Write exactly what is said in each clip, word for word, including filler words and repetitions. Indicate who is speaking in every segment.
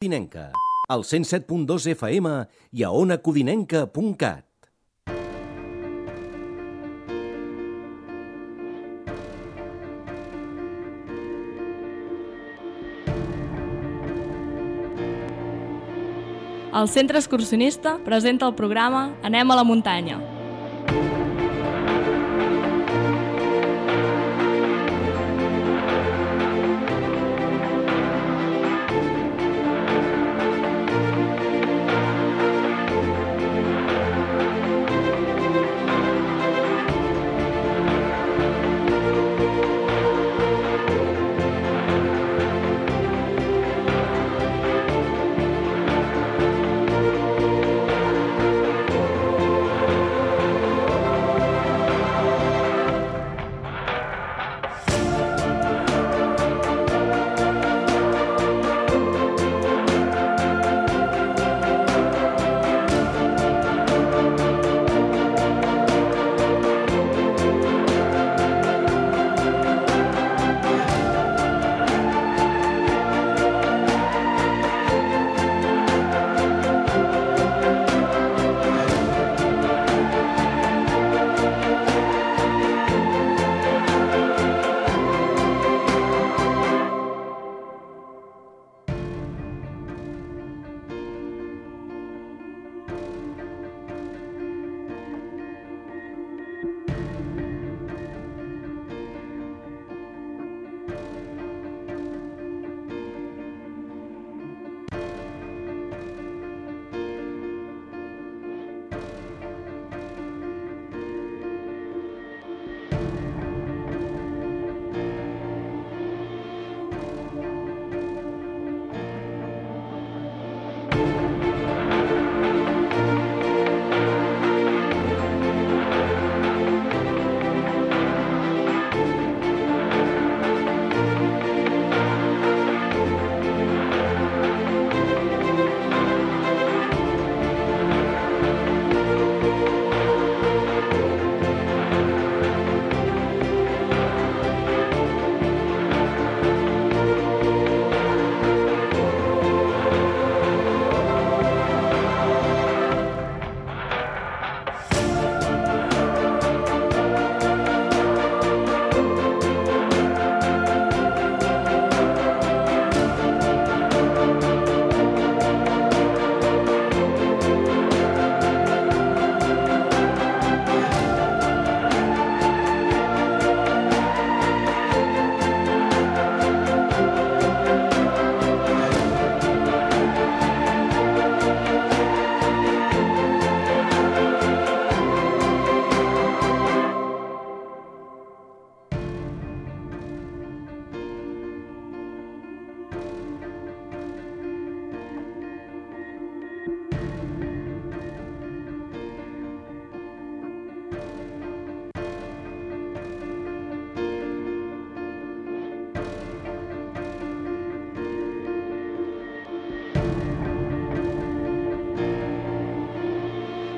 Speaker 1: Codinenca, al cent set punt dos F M i a ona codinenca punt cat.
Speaker 2: El Centre Excursionista presenta el programa Anem a la muntanya.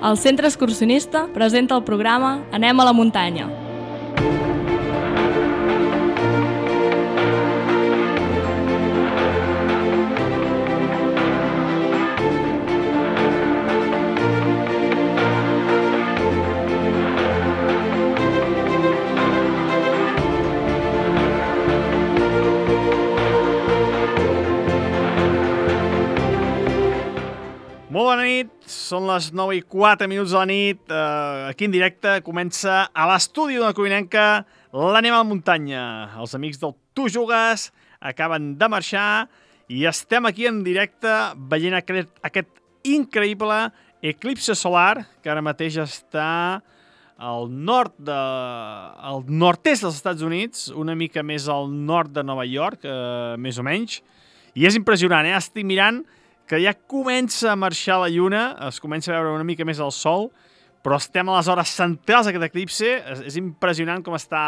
Speaker 2: El Centre Excursionista presenta el programa Anem a la muntanya.
Speaker 3: Molt bona nit, són les nou i quatre minuts de la nit, eh, aquí en directe comença a l'estudi d'Ona Codinenca l'Anem a la muntanya. Els amics del Tu Jugues acaben de marxar i estem aquí en directe veient aquest, aquest increïble eclipse solar que ara mateix està al nord de, al nord-est dels Estats Units, una mica més al nord de Nova York, eh, més o menys, i és impressionant, eh? Estic mirant que ja comença a marxar la lluna, es comença a veure una mica més el sol, però estem a les hores centrals d'aquest eclipse, és, és impressionant com està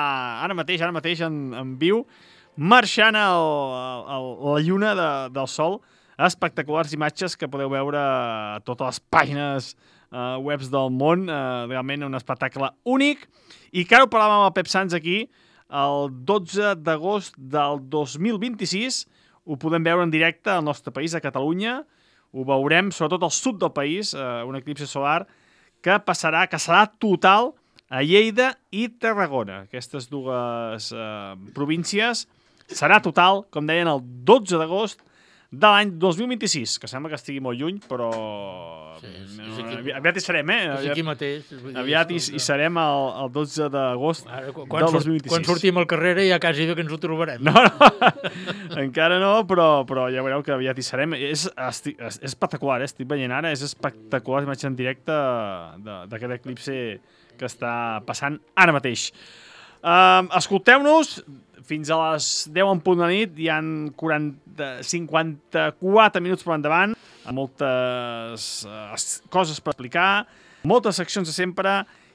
Speaker 3: ara mateix, ara mateix en, en viu, marxant el, el, la lluna de, del sol, espectaculars imatges que podeu veure a totes les pàgines uh, webs del món, uh, realment un espectacle únic, i que ara ho parlàvem amb el Pep Sans aquí, el dotze d'agost del dos mil vint-i-sis, ho podem veure en directe al nostre país, a Catalunya. Ho veurem, sobretot al sud del país, eh, un eclipsi solar que passarà, que serà total a Lleida i Tarragona. Aquestes dues eh, províncies serà total, com deien, el dotze d'agost de l'any dos mil vint-i-sis, que sembla que estigui molt lluny, però sí, sí, sí, aquí, aviat hi serem, eh?
Speaker 4: És aquí mateix.
Speaker 3: Aviat hi, hi serem el, el dotze d'agost del dos mil vint-i-sis.
Speaker 4: Quan sortim al carrer ja quasi bé que ens ho trobarem.
Speaker 3: No, no, encara no, però, però ja veureu que aviat hi serem. És, estic, és espectacular, eh? Estic veient ara, és espectacular l'imatge en directe d'aquest eclipsi que està passant ara mateix. Uh, Escolteu-nos, fins a les deu en punt de nit, hi ha quaranta, cinquanta-quatre minuts per endavant, amb moltes uh, coses per explicar, moltes seccions de sempre,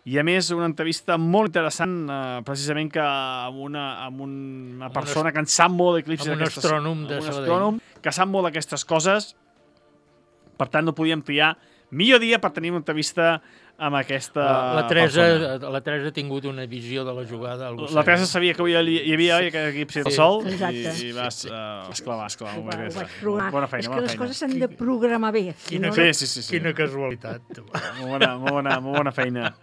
Speaker 3: i a més una entrevista molt interessant, uh, precisament que amb una, amb una persona que en sap molt d'eclipsis,
Speaker 4: amb un astrònom de
Speaker 3: un astrònom que sap molt d'aquestes coses. Per tant, no podíem triar millor dia per tenir una entrevista amb aquesta
Speaker 4: la Teresa,
Speaker 3: persona.
Speaker 4: La Teresa ha tingut una visió de la jugada.
Speaker 3: La Teresa sabia que hi havia aquest eclipsi del sol i, i vas
Speaker 5: uh,
Speaker 3: esclavar, esclavar.
Speaker 5: Ho, ho vaig programar.
Speaker 3: Bona feina,
Speaker 5: És que
Speaker 3: bona
Speaker 5: les
Speaker 3: feina.
Speaker 5: coses s'han de programar bé.
Speaker 4: Quina,
Speaker 5: no,
Speaker 3: sí, sí, sí, sí.
Speaker 4: Quina casualitat.
Speaker 3: Molt bona, molt bona, molt bona feina.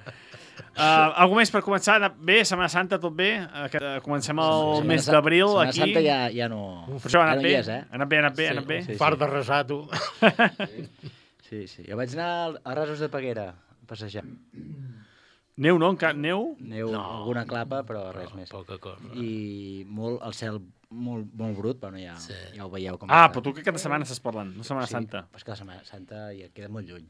Speaker 3: Uh, algú més per començar? Bé, Setmana Santa, tot bé? Uh, comencem el
Speaker 6: Setmana
Speaker 3: mes d'abril
Speaker 6: Setmana
Speaker 3: aquí.
Speaker 6: Santa ja, ja no...
Speaker 3: Per això ha
Speaker 6: ja
Speaker 3: anat
Speaker 6: no
Speaker 3: bé,
Speaker 6: hi és, eh?
Speaker 3: ha anat bé, ha anat bé, ha anat bé.
Speaker 6: Sí, sí.
Speaker 4: Fart de resar, tu.
Speaker 6: Sí, sí. Jo vaig anar a Rasos de Peguera a passejar.
Speaker 3: Neu, no? Encara neu?
Speaker 6: Neu,
Speaker 4: No.
Speaker 6: alguna clapa, però res més.
Speaker 4: Poca cosa.
Speaker 6: I molt, el cel molt, molt brut, bueno, ja,
Speaker 4: Sí.
Speaker 6: ja ho veieu com
Speaker 3: Ah,
Speaker 6: està.
Speaker 3: però tu que aquesta setmana estàs parlant, no Setmana
Speaker 6: Sí,
Speaker 3: Santa.
Speaker 6: però és que la Setmana Santa ja queda molt lluny.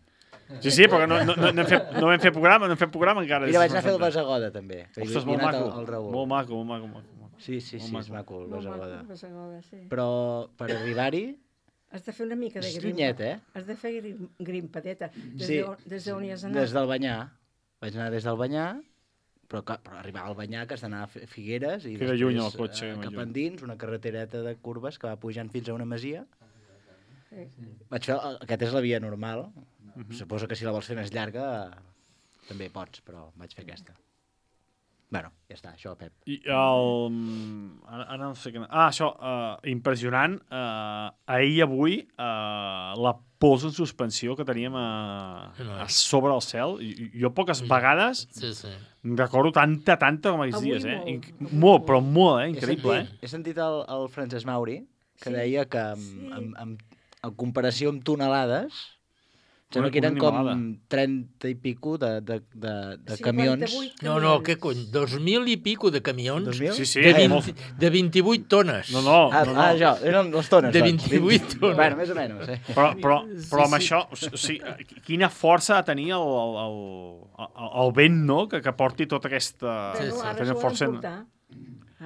Speaker 3: Sí, sí, perquè no, no, no, no, hem fet, no hem fet programa, no hem fet programa encara.
Speaker 6: Mira, vaig anar a fer el Basagoda, també. que hi
Speaker 3: Ostres,
Speaker 6: havia
Speaker 3: molt
Speaker 6: anat
Speaker 3: maco,
Speaker 6: el, el Raül.
Speaker 3: molt maco, molt maco, molt maco.
Speaker 6: Sí, sí, sí,
Speaker 3: Molt
Speaker 6: és maco el
Speaker 5: Molt maco,
Speaker 6: Basagoda.
Speaker 5: Basagoda, sí.
Speaker 6: Però per arribar-hi,
Speaker 5: Has de fer una mica de
Speaker 6: és
Speaker 5: grimpa.
Speaker 6: llunyet, eh?
Speaker 5: Has de fer grim, grimpadeta. Des
Speaker 6: Sí.
Speaker 5: d'on des d'on hi has anat?
Speaker 6: Des del Banyà. Vaig anar des del Banyà, però, clar, però arribar al Banyà, que has d'anar a Fi- Figueres, i
Speaker 3: Queda
Speaker 6: després
Speaker 3: lluny el cotxe,
Speaker 6: eh,
Speaker 3: molt
Speaker 6: cap
Speaker 3: lluny.
Speaker 6: endins, una carretereta de curves que va pujant fins a una masia.
Speaker 5: Sí.
Speaker 6: Vaig fer, aquesta és la via normal. Suposo que si la vols fer més llarga també pots, però vaig fer aquesta. Bueno, ja està, això, Pep.
Speaker 3: I el... Ara, ara no sé què... Ah, això, uh, impressionant. Uh, ahir i avui, uh, la pols en suspensió que teníem a, a sobre el cel. I, jo poques vegades
Speaker 4: Sí, sí.
Speaker 3: recordo tanta, tanta com aquells
Speaker 5: Avui
Speaker 3: dies, eh?
Speaker 5: molt.
Speaker 3: Inc molt, però molt, eh?
Speaker 6: He
Speaker 3: Increïble,
Speaker 6: sentit,
Speaker 3: eh?
Speaker 6: he sentit el, el Francesc Mauri, que
Speaker 5: Sí.
Speaker 6: deia que en,
Speaker 5: Sí.
Speaker 6: en, en, en comparació amb tonelades, sembla
Speaker 3: Una-
Speaker 6: que eren
Speaker 3: una
Speaker 6: com
Speaker 3: animalada.
Speaker 6: trenta i pico de, de, de, de
Speaker 5: cinquanta-vuit
Speaker 6: camions.
Speaker 4: No, no, què cony? Dos mil i pico de camions
Speaker 6: Dos mil?
Speaker 3: Sí, sí,
Speaker 4: de,
Speaker 3: eh,
Speaker 4: vint,
Speaker 3: molt.
Speaker 4: de vint-i-vuit tones.
Speaker 3: No, no,
Speaker 6: Ah,
Speaker 3: no, no.
Speaker 6: ah, això, eren les tones.
Speaker 4: De
Speaker 6: doncs.
Speaker 4: vint-i-vuit tones.
Speaker 6: Bueno, més o menys, eh?
Speaker 3: Però, però, però amb això, o sigui, quina força ha de tenir el, el, el, el, el vent, no?, que, que porti tota aquesta...
Speaker 5: Bueno,
Speaker 4: sí,
Speaker 5: ara
Speaker 3: aquesta
Speaker 5: s'ho
Speaker 3: força
Speaker 5: han
Speaker 3: en-
Speaker 5: portar.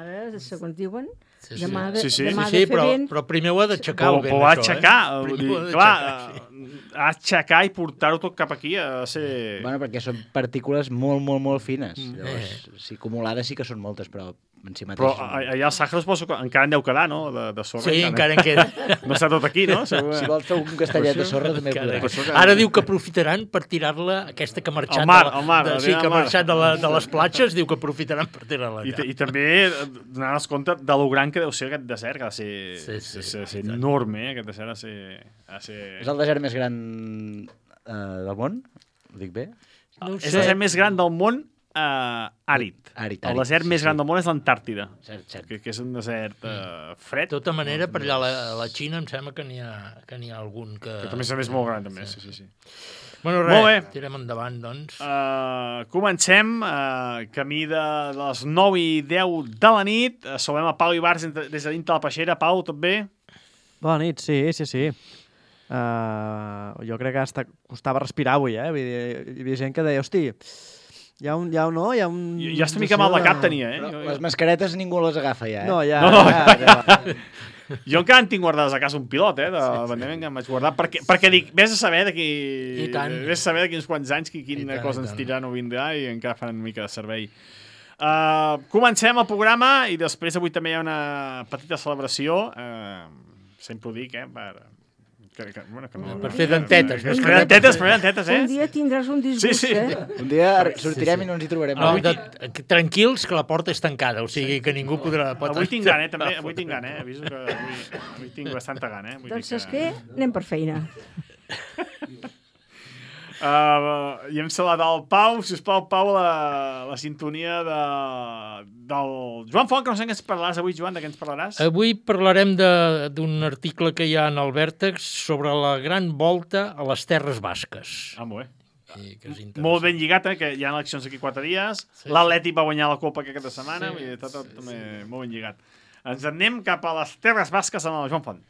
Speaker 5: Ara, segons diuen,
Speaker 4: Sí, sí.
Speaker 5: demà ha de,
Speaker 3: Sí, sí.
Speaker 5: demà ha
Speaker 4: Sí,
Speaker 5: de
Speaker 4: sí,
Speaker 5: fer
Speaker 4: però,
Speaker 5: vent.
Speaker 4: però primer ho ha d'aixecar
Speaker 3: Però,
Speaker 4: el vent,
Speaker 3: però va
Speaker 4: això,
Speaker 3: aixecar,
Speaker 4: eh?
Speaker 3: vull
Speaker 4: Primer
Speaker 3: dir,
Speaker 4: ho ha
Speaker 3: clar,
Speaker 4: d'aixecar, sí.
Speaker 3: eh, ha d'aixecar i portar-ho tot cap aquí, ha de ser...
Speaker 6: Bueno, perquè són partícules molt, molt, molt fines.
Speaker 3: Mm.
Speaker 6: Llavors, si acumulades sí que són moltes, però en si
Speaker 3: Però
Speaker 6: mateix... són-
Speaker 3: a- allà al Sàhara suposo que encara en deu quedar, no?, de, de sorra.
Speaker 4: Sí, encara en queda.
Speaker 3: No està tot aquí, no? Segur.
Speaker 6: Si vols fer un castellet de sorra, també
Speaker 4: Encara-
Speaker 6: podràs.
Speaker 4: Ara diu que aprofitaran per tirar-la, aquesta que ha marxat,
Speaker 3: Al mar,
Speaker 4: de, la-
Speaker 3: al mar,
Speaker 4: de,
Speaker 3: a
Speaker 4: sí,
Speaker 3: tirar
Speaker 4: que
Speaker 3: al
Speaker 4: ha
Speaker 3: mar.
Speaker 4: marxat de, la, de les platges, diu que aprofitaran per tirar-la
Speaker 3: I,
Speaker 4: allà.
Speaker 3: I també donant-nos compte de lo gran que deu ser aquest desert, que ha de ser,
Speaker 4: Sí, sí,
Speaker 3: ha de ser, ha de ser
Speaker 4: i tant.
Speaker 3: enorme, eh? Aquest desert ha de ser... Ha de ser...
Speaker 6: És el desert més gran eh, del món? Ho dic bé?
Speaker 4: No ho
Speaker 3: és el
Speaker 4: sé.
Speaker 3: desert més gran del món eh, àrid.
Speaker 6: Àrid,
Speaker 3: El
Speaker 6: àrid,
Speaker 3: desert
Speaker 6: sí,
Speaker 3: més
Speaker 6: sí.
Speaker 3: gran del món és l'Antàrtida,
Speaker 6: Cert, cert.
Speaker 3: que, que és un desert eh, fred,
Speaker 4: De tota manera, per allà a la, a la Xina em sembla que n'hi ha, que n'hi ha algun que...
Speaker 3: que també és més molt gran, també. Sí, sí, sí.
Speaker 4: Bueno,
Speaker 3: Molt bé.
Speaker 4: res, tirem endavant, doncs.
Speaker 3: Uh, comencem, uh, camí de les nou i deu de la nit. Uh, saludem a Pau Ibarz des de dintre la peixera. Pau, tot bé?
Speaker 7: Bona nit, sí, sí, sí. Uh, jo crec que hasta costava respirar avui, eh? Vull dir, hi havia gent que deia, hosti, hi ha un... Hi ha un no, hi ha un...
Speaker 3: Jo, jo estic mica mal de cap tenia, eh?
Speaker 6: Però
Speaker 3: Jo,
Speaker 6: les
Speaker 3: jo,
Speaker 6: mascaretes ningú les agafa ja, eh?
Speaker 7: No, ja...
Speaker 3: No, no,
Speaker 7: ja, ja,
Speaker 3: jo encara en tinc guardades a casa un pilot, eh? De la pandèmia que em vaig guardar, perquè, perquè dic, vés a saber d'aquí...
Speaker 4: I tant.
Speaker 3: Vés a saber d'aquí uns quants anys qui,
Speaker 4: I
Speaker 3: quina
Speaker 4: tant,
Speaker 3: cosa
Speaker 4: i
Speaker 3: ens
Speaker 4: tant.
Speaker 3: tiraran o vindrà i encara fan una mica de servei. Uh, comencem el programa i després avui també hi ha una petita celebració, uh, sempre ho dic, eh? Per, Que, que, bueno, que no,
Speaker 4: Per fer dentetes.
Speaker 3: Per fer dentetes, per fer dentetes, eh?
Speaker 5: Un dia tindràs un disgust,
Speaker 3: Sí, sí.
Speaker 5: eh?
Speaker 6: Un dia sortirem i no ens hi trobarem.
Speaker 4: No,
Speaker 6: mai.
Speaker 4: de, tranquils, que la porta és tancada, o sigui que ningú podrà... Pot
Speaker 3: Avui tinc gana, eh, també. Avui tinc gana, eh? Aviso que avui, avui tinc bastanta gana, eh? Vull
Speaker 5: Doncs
Speaker 3: dir
Speaker 5: saps què? Anem per feina.
Speaker 3: Uh, I hem saludat el Pau, sisplau, Pau, la, la sintonia de, del Joan Font, que no sé què ens parlaràs avui, Joan, de què ens parlaràs?
Speaker 4: Avui parlarem de- d'un article que hi ha en el Vèrtex sobre la gran volta a les Terres Basques.
Speaker 3: Ah, molt bé.
Speaker 4: I que és interessant.
Speaker 3: Molt ben lligat, eh, que hi ha eleccions aquí quatre dies.
Speaker 4: Sí,
Speaker 3: L'Atlètic va guanyar la Copa aquesta setmana,
Speaker 4: Sí,
Speaker 3: vull dir, tot, tot
Speaker 4: sí,
Speaker 3: també molt ben lligat. Ens en anem cap a les Terres Basques amb el Joan Font.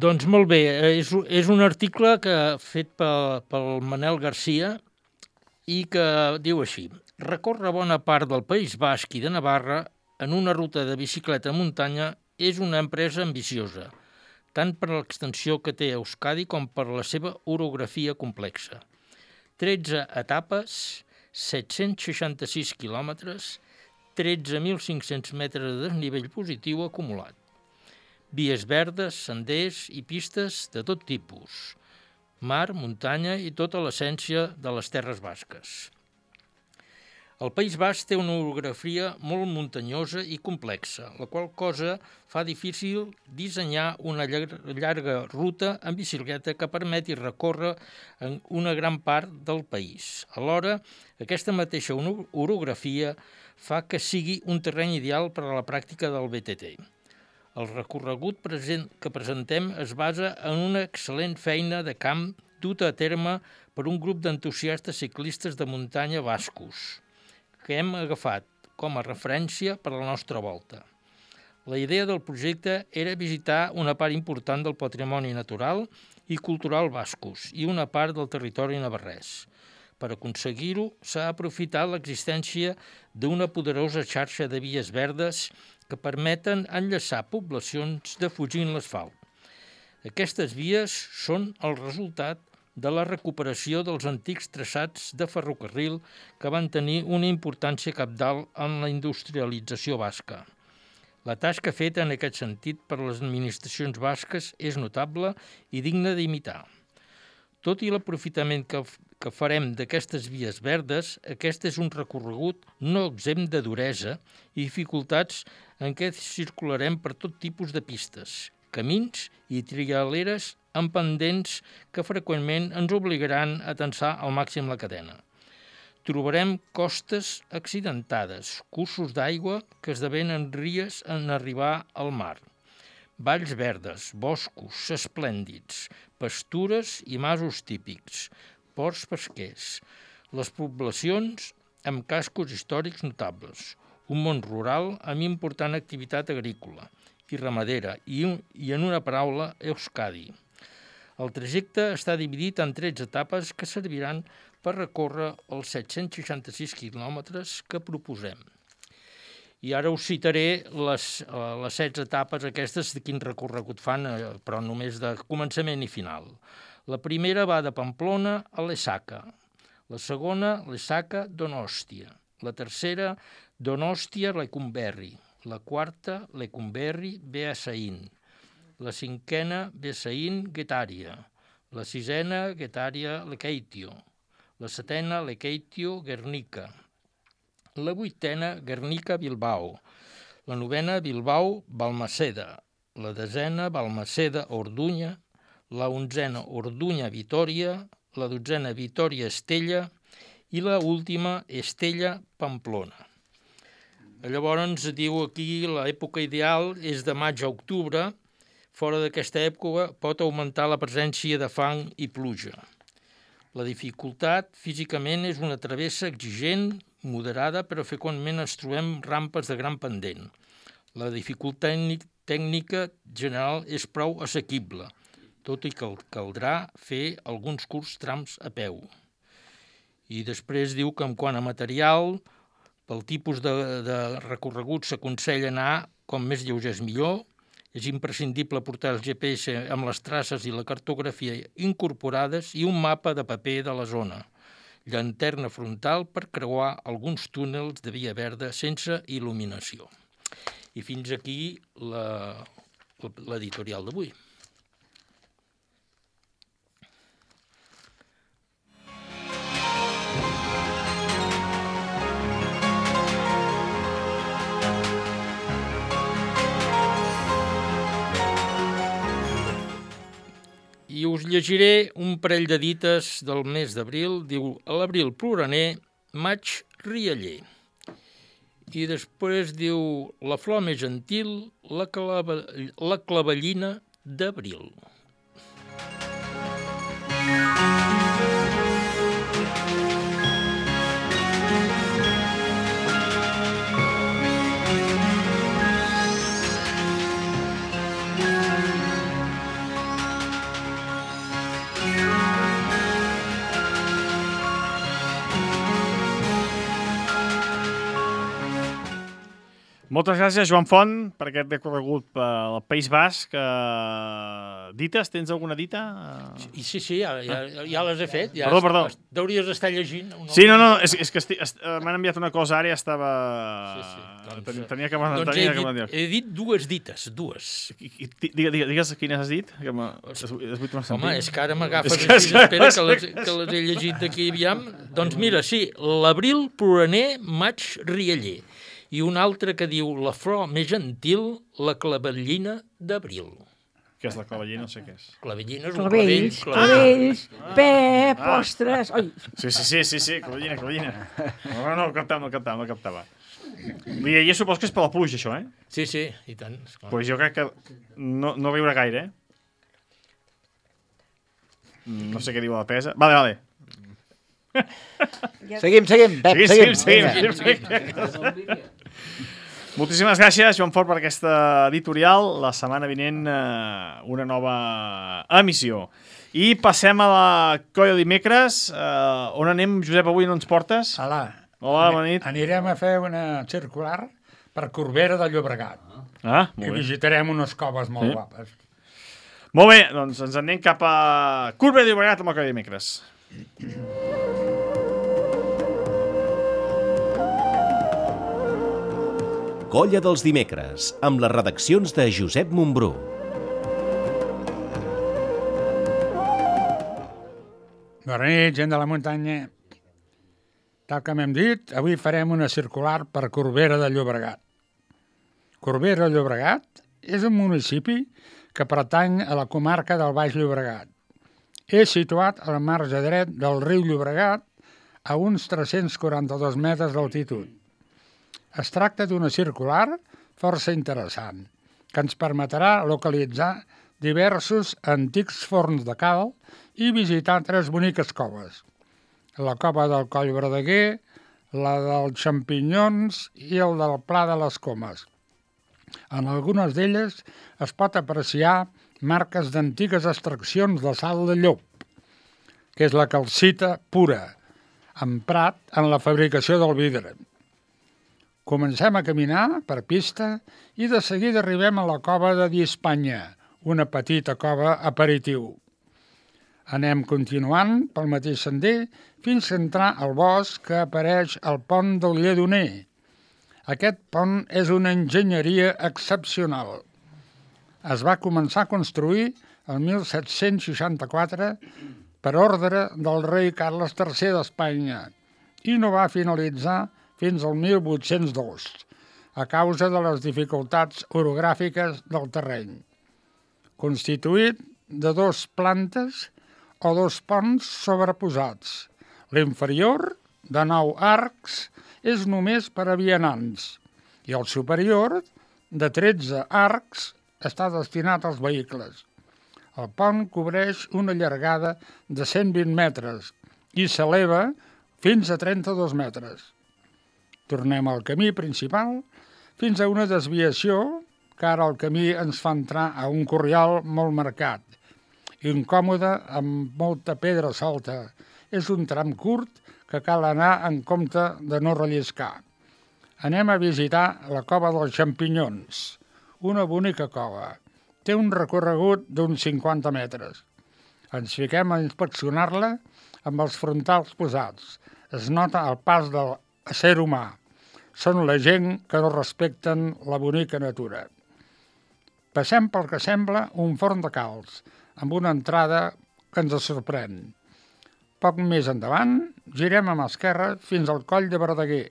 Speaker 4: Doncs molt bé, és, és un article que fet pel, pel Manel Garcia i que diu així: recórrer bona part del País Basc i de Navarra en una ruta de bicicleta a muntanya és una empresa ambiciosa, tant per l'extensió que té Euskadi com per la seva orografia complexa. tretze etapes, set-cents seixanta-sis quilòmetres, tretze mil cinc-cents metres de desnivell positiu acumulat. Vies verdes, senders i pistes de tot tipus, mar, muntanya i tota l'essència de les terres basques. El País Basc té una orografia molt muntanyosa i complexa, la qual cosa fa difícil dissenyar una llarga ruta en bicicleta que permeti recórrer en una gran part del país. Alhora, aquesta mateixa orografia fa que sigui un terreny ideal per a la pràctica del B T T. El recorregut present que presentem es basa en una excel·lent feina de camp duta a terme per un grup d'entusiastes ciclistes de muntanya bascos, que hem agafat com a referència per a la nostra volta. La idea del projecte era visitar una part important del patrimoni natural i cultural bascos i una part del territori navarrès. Per aconseguir-ho, s'ha aprofitat l'existència d'una poderosa xarxa de vies verdes que permeten enllaçar poblacions defugint l'asfalt. Aquestes vies són el resultat de la recuperació dels antics traçats de ferrocarril que van tenir una importància cabdal en la industrialització basca. La tasca feta en aquest sentit per les administracions basques és notable i digna d'imitar. Tot i l'aprofitament que, que farem d'aquestes vies verdes, aquest és un recorregut no exempt de duresa i dificultats en què circularem per tot tipus de pistes, camins i trialeres amb pendents que freqüentment ens obligaran a tensar al màxim la cadena. Trobarem costes accidentades, cursos d'aigua que esdevenen ries en arribar al mar, valls verdes, boscos esplèndids, pastures i masos típics, ports pesquers, les poblacions amb cascos històrics notables, un món rural amb important activitat agrícola i ramadera i, i en una paraula, Euskadi. El trajecte està dividit en tretze etapes que serviran per recórrer els set-cents seixanta-sis quilòmetres que proposem. I ara us citaré les, les setze etapes aquestes de quin recorregut fan, però només de començament i final. La primera va de Pamplona a Lesaca, la segona Lesaca-Donòstia, la tercera Donòstia-Lecumberri, la quarta Lecumberri-Beasain, la cinquena Besain-Guetària, la sisena Guetària-Lekeitio, la setena Lekeitio-Guernica, la vuitena Guernica-Bilbao, la novena Bilbao-Balmaceda, la desena Balmaceda-Orduña, la onzena Orduña-Vitòria, la dotzena Vitòria-Estella i la última Estella-Pamplona. Llavors diu aquí l'època ideal és de maig a octubre. Fora d'aquesta època pot augmentar la presència de fang i pluja. La dificultat físicament és una travessa exigent, moderada, però freqüentment ens trobem rampes de gran pendent. La dificultat tècnica general és prou assequible, tot i que caldrà fer alguns curts trams a peu. I després diu que en quant a material, pel tipus de, de recorregut s'aconsella anar com més lleugers millor, És imprescindible portar el G P S amb les traces i la cartografia incorporades i un mapa de paper de la zona. Llanterna frontal per creuar alguns túnels de via verda sense il·luminació. I fins aquí la, l'editorial d'avui. I us llegiré un parell de dites del mes d'abril. Diu, a l'abril ploraner, maig rialler. I després diu, la flor més gentil, la, clava, la clavellina d'abril.
Speaker 3: Moltes gràcies, Joan Font, per aquest recorregut pel País Basc. Uh, dites? Tens alguna dita?
Speaker 4: Sí, sí, sí, ja, ja, ja les he fet. Ja
Speaker 3: perdó, perdó.
Speaker 4: Deuries estar llegint.
Speaker 3: Sí, no, no, és, és que esti, est, m'han enviat una cosa ara i ja estava... Sí, sí. Doncs, tenia que...
Speaker 4: Doncs
Speaker 3: tenia
Speaker 4: he,
Speaker 3: que
Speaker 4: dit, he dit dues dites, dues.
Speaker 3: Digues, digues quines has dit. Que es, es
Speaker 4: Home, és que ara m'agafes així, que... espera que les, que les he llegit aquí, aviam. Doncs mira, sí, l'abril ploraner, maig rialler. I un altre que diu, la flor més gentil, la clavellina d'abril.
Speaker 3: Què és la clavellina? No sé què és.
Speaker 4: Clavellina és un clavell.
Speaker 5: Clavells, ah. pep, ah. ostres... Oi.
Speaker 3: Sí, sí, sí, sí, sí, clavellina, clavellina. No, no, no captava, no captava, no captava. I jo supos que és per la pluja, això, eh?
Speaker 4: Sí, sí, i tant.
Speaker 3: Doncs pues jo crec que no, no riurà gaire, eh? No sé què diu la pesa. Vale, vale.
Speaker 6: Seguim, seguim, Pep,
Speaker 3: sí,
Speaker 6: seguim.
Speaker 3: Seguim, seguim, seguim, seguim. Moltíssimes gràcies, Joan Fort, per aquesta editorial. La setmana vinent eh, una nova emissió. I passem a la colla dimecres. Eh, on anem, Josep, avui no ens portes?
Speaker 8: Hola.
Speaker 3: Hola, bona nit.
Speaker 8: Anirem a fer una circular per Corbera de Llobregat.
Speaker 3: Ah, molt
Speaker 8: I
Speaker 3: bé.
Speaker 8: visitarem unes coves molt
Speaker 3: sí.
Speaker 8: guapes.
Speaker 3: Molt bé, doncs ens anem cap a Corbera de Llobregat amb la colla dimecres.
Speaker 1: Colla dels dimecres, amb les redaccions de Josep Montbrú.
Speaker 8: Bona nit, gent de la muntanya. Tal com hem dit, avui farem una circular per Corbera de Llobregat. Corbera de Llobregat és un municipi que pertany a la comarca del Baix Llobregat. És situat al marge dret del riu Llobregat a uns tres-cents quaranta-dos metres d'altitud. Es tracta d'una circular força interessant, que ens permetrà localitzar diversos antics forns de cal i visitar tres boniques coves. La cova del Coll Verdaguer, la dels Xampinyons i el del Pla de les Comes. En algunes d'elles es pot apreciar marques d'antigues extraccions de sal de llop, que és la calcita pura, emprat en la fabricació del vidre. Comencem a caminar per pista i de seguida arribem a la cova de Diespanya, una petita cova aperitiu. Anem continuant pel mateix sender fins a entrar al bosc que apareix al pont del Lledoner. Aquest pont és una enginyeria excepcional. Es va començar a construir el mil set-cents seixanta-quatre per ordre del rei Carles tercer d'Espanya i no va finalitzar fins al mil vuit-cents dos, a causa de les dificultats orogràfiques del terreny. Constituït de dos plantes o dos ponts sobreposats. L'inferior, de nou arcs, és només per a vianants i el superior, de tretze arcs, està destinat als vehicles. El pont cobreix una llargada de cent vint metres i s'eleva fins a trenta-dos metres. Tornem al camí principal fins a una desviació que ara el camí ens fa entrar a un corriol molt marcat, incòmode amb molta pedra solta. És un tram curt que cal anar en compte de no relliscar. Anem a visitar la cova dels Xampinyons, una bonica cova. té un recorregut d'uns cinquanta metres. Ens fiquem a inspeccionar-la amb els frontals posats. Es nota el pas del ésser humà. Són la gent que no respecten la bonica natura. Passem pel que sembla un forn de calç, amb una entrada que ens sorprèn. Poc més endavant, girem a mà esquerra fins al coll de Verdaguer.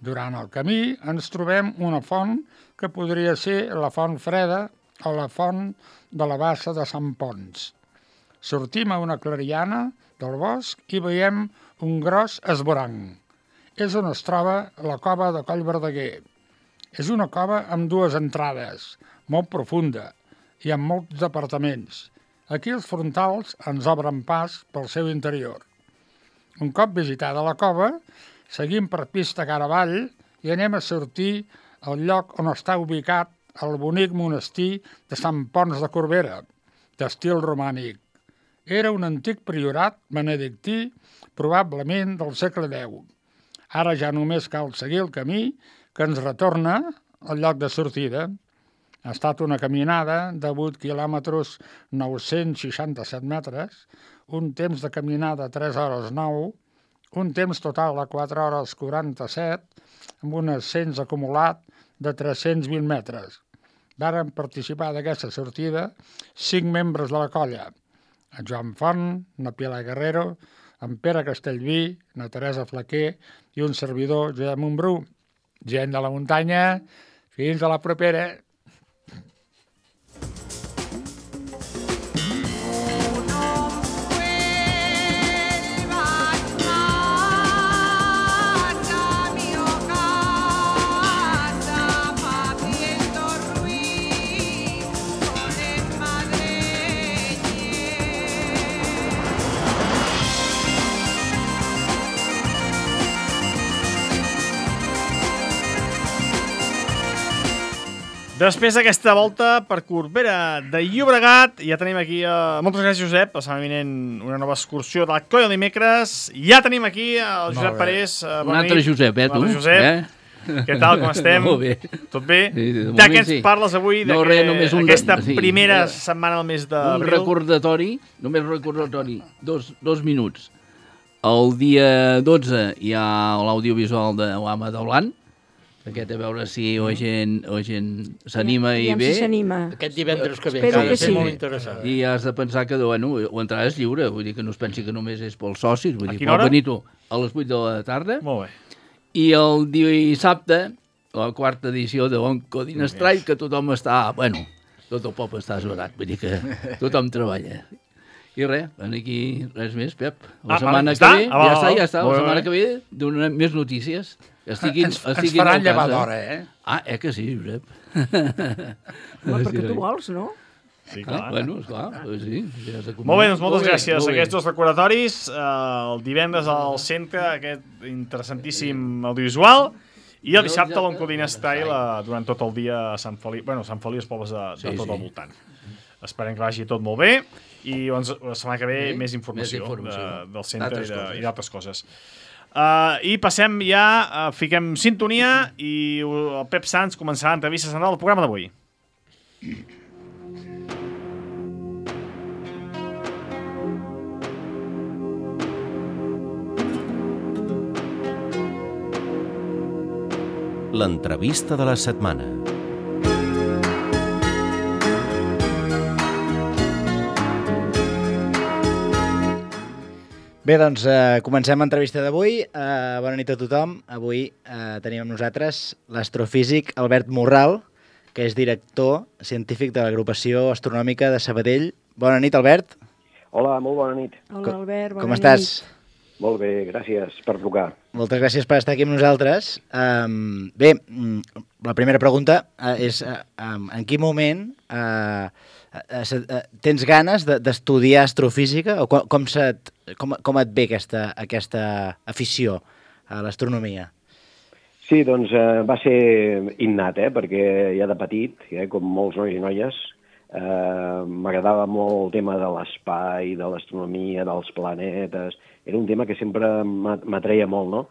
Speaker 8: Durant el camí ens trobem una font que podria ser la Font Freda o la Font de la Bassa de Sant Pons. Sortim a una clariana del bosc i veiem un gros esvoranc. És on es troba la cova de Coll Verdaguer. És una cova amb dues entrades, molt profunda i amb molts apartaments. Aquí els frontals ens obren pas pel seu interior. Un cop visitada la cova, seguim per pista cara avall i anem a sortir al lloc on està ubicat el bonic monestir de Sant Pons de Corbera, d'estil romànic. Era un antic priorat benedictí, probablement del segle deu. Ara ja només cal seguir el camí que ens retorna al lloc de sortida. Ha estat una caminada de vuit quilòmetres nou-cents seixanta-set metres, un temps de caminada tres hores nou, un temps total de quatre hores quaranta-set, amb un ascens acumulat de tres-cents vint metres. Varen participar d'aquesta sortida cinc membres de la colla: en Joan Font, na Pilar Guerrero, en Pere Castellví, na Teresa Flaquer i un servidor, Josep Montbrú. Gent de la muntanya, fins a la propera.
Speaker 3: Després d'aquesta volta per Corbera de Llobregat, ja tenim aquí... Uh, moltes gràcies, Josep. La setmana vinent una nova excursió de la colla de dimecres. Ja tenim aquí el Josep Parés. Uh,
Speaker 9: Un altre nit. Josep, eh, tu?
Speaker 3: Josep.
Speaker 9: Eh?
Speaker 3: Què tal, com estem?
Speaker 9: Molt bé.
Speaker 3: Tot bé?
Speaker 9: Sí, de,
Speaker 3: de què ens
Speaker 9: sí.
Speaker 3: parles avui?
Speaker 9: No, res, només un...
Speaker 3: Aquesta
Speaker 9: sí,
Speaker 3: primera
Speaker 9: sí.
Speaker 3: setmana del mes
Speaker 9: Un
Speaker 3: d'abril.
Speaker 9: recordatori, només recordatori, dos, dos minuts. El dia dotze hi ha l'audiovisual de l'Ama de Blanc, aquest a veure si o gent, o gent s'anima i ve.
Speaker 5: Si s'anima.
Speaker 4: Aquest divendres que ve,
Speaker 5: Espero
Speaker 4: que ha de
Speaker 5: que
Speaker 4: ser
Speaker 5: sí.
Speaker 4: molt interessant.
Speaker 9: I has de pensar que, bueno, l'entrada és lliure, vull dir que no es pensi que només és pels socis, vull
Speaker 3: A
Speaker 9: dir,
Speaker 3: quina hora?
Speaker 9: pot venir tu a les vuit de la tarda.
Speaker 3: Molt bé.
Speaker 9: I el dissabte, la quarta edició de Onco Dinestrai, que tothom està, bueno, tot el poble està esverat, vull dir que tothom treballa. I res, aquí res més, Pep. La
Speaker 3: Ah,
Speaker 9: setmana
Speaker 3: està?
Speaker 9: que ve,
Speaker 3: Ah, va,
Speaker 9: ja està,
Speaker 3: va.
Speaker 9: ja està,
Speaker 3: Molt
Speaker 9: la
Speaker 3: bé.
Speaker 9: setmana que ve donem més notícies. Estiguin,
Speaker 8: ens, ens
Speaker 9: estiguin
Speaker 8: faran
Speaker 9: al
Speaker 8: llevar
Speaker 9: cas,
Speaker 8: d'hora, eh?
Speaker 9: Ah, eh que sí, Josep?
Speaker 5: Home, perquè tu vols, no?
Speaker 3: Sí,
Speaker 9: Ah,
Speaker 3: clar.
Speaker 9: bueno, esclar, pues sí. Ja has de
Speaker 3: Molt bé, doncs moltes
Speaker 9: Molt bé,
Speaker 3: gràcies.
Speaker 9: molt bé.
Speaker 3: Aquests dos recordatoris, eh, el divendres al centre, aquest interessantíssim audiovisual, i el dissabte a l'Oncodina Style eh, durant tot el dia a Sant Feliu, bueno, Sant Feliu i els pobles de, de
Speaker 9: Sí,
Speaker 3: tot
Speaker 9: sí.
Speaker 3: al voltant. Esperem que vagi tot molt bé i doncs, la setmana que ve
Speaker 9: Sí,
Speaker 3: més informació,
Speaker 9: més informació.
Speaker 3: de, del centre
Speaker 9: D'altres
Speaker 3: i de-
Speaker 9: coses.
Speaker 3: i d'altres coses. Uh, I passem ja, uh, fiquem sintonia i uh, el Pep Sanz començarà l'entrevista central del programa d'avui.
Speaker 1: L'entrevista de la setmana.
Speaker 6: Bé, doncs eh, comencem l'entrevista d'avui. Eh, bona nit a tothom. Avui eh, tenim amb nosaltres l'astrofísic Albert Morral, que és director científic de l'agrupació astronòmica de Sabadell. Bona nit, Albert.
Speaker 10: Hola, molt bona nit.
Speaker 5: Hola, Albert, bona
Speaker 6: Com
Speaker 5: nit.
Speaker 6: estàs?
Speaker 10: Molt bé, gràcies per trucar.
Speaker 6: Moltes gràcies per estar aquí amb nosaltres. Um, bé, mm, la primera pregunta uh, és uh, um, en quin moment uh, uh, uh, tens ganes de- d'estudiar astrofísica o com, com, se't, com, com et ve aquesta, aquesta afició a l'astronomia?
Speaker 10: Sí, doncs eh, va ser innat, eh, perquè ja de petit, eh, com molts nois i noies, eh, m'agradava molt el tema de l'espai, de l'astronomia, dels planetes. Era un tema que sempre m'a- m'atreia molt, no?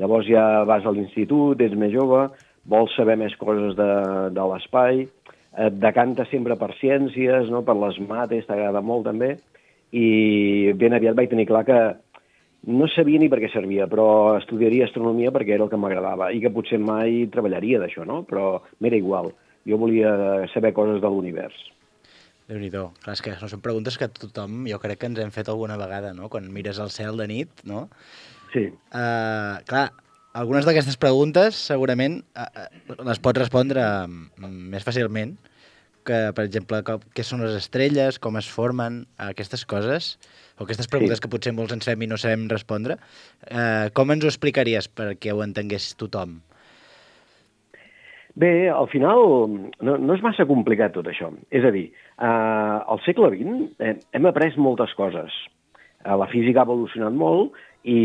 Speaker 10: Llavors ja vas a l'institut, ets més jove, vols saber més coses de, de l'espai, et decantes sempre per ciències, no? Per les mates, t'agrada molt també, i ben aviat vaig tenir clar que no sabia ni per què servia, però estudiaria astronomia perquè era el que m'agradava i que potser mai treballaria d'això, no? Però m'era igual. Jo volia saber coses de l'univers.
Speaker 6: Déu-n'hi-do. Clar, és que no són preguntes que tothom, jo crec que ens hem fet alguna vegada, no? Quan mires al cel de nit, no?
Speaker 10: Sí.
Speaker 6: Uh, clar, algunes d'aquestes preguntes segurament uh, uh, les pots respondre uh, més fàcilment que, per exemple, com, què són les estrelles, com es formen, uh, aquestes coses, o aquestes preguntes sí. que potser molts ens fem i no sabem respondre. Uh, com ens ho explicaries perquè ho entengués tothom?
Speaker 10: Bé, al final no, no és massa complicat tot això. És a dir, eh, al segle vint eh, hem après moltes coses. Eh, la física ha evolucionat molt i,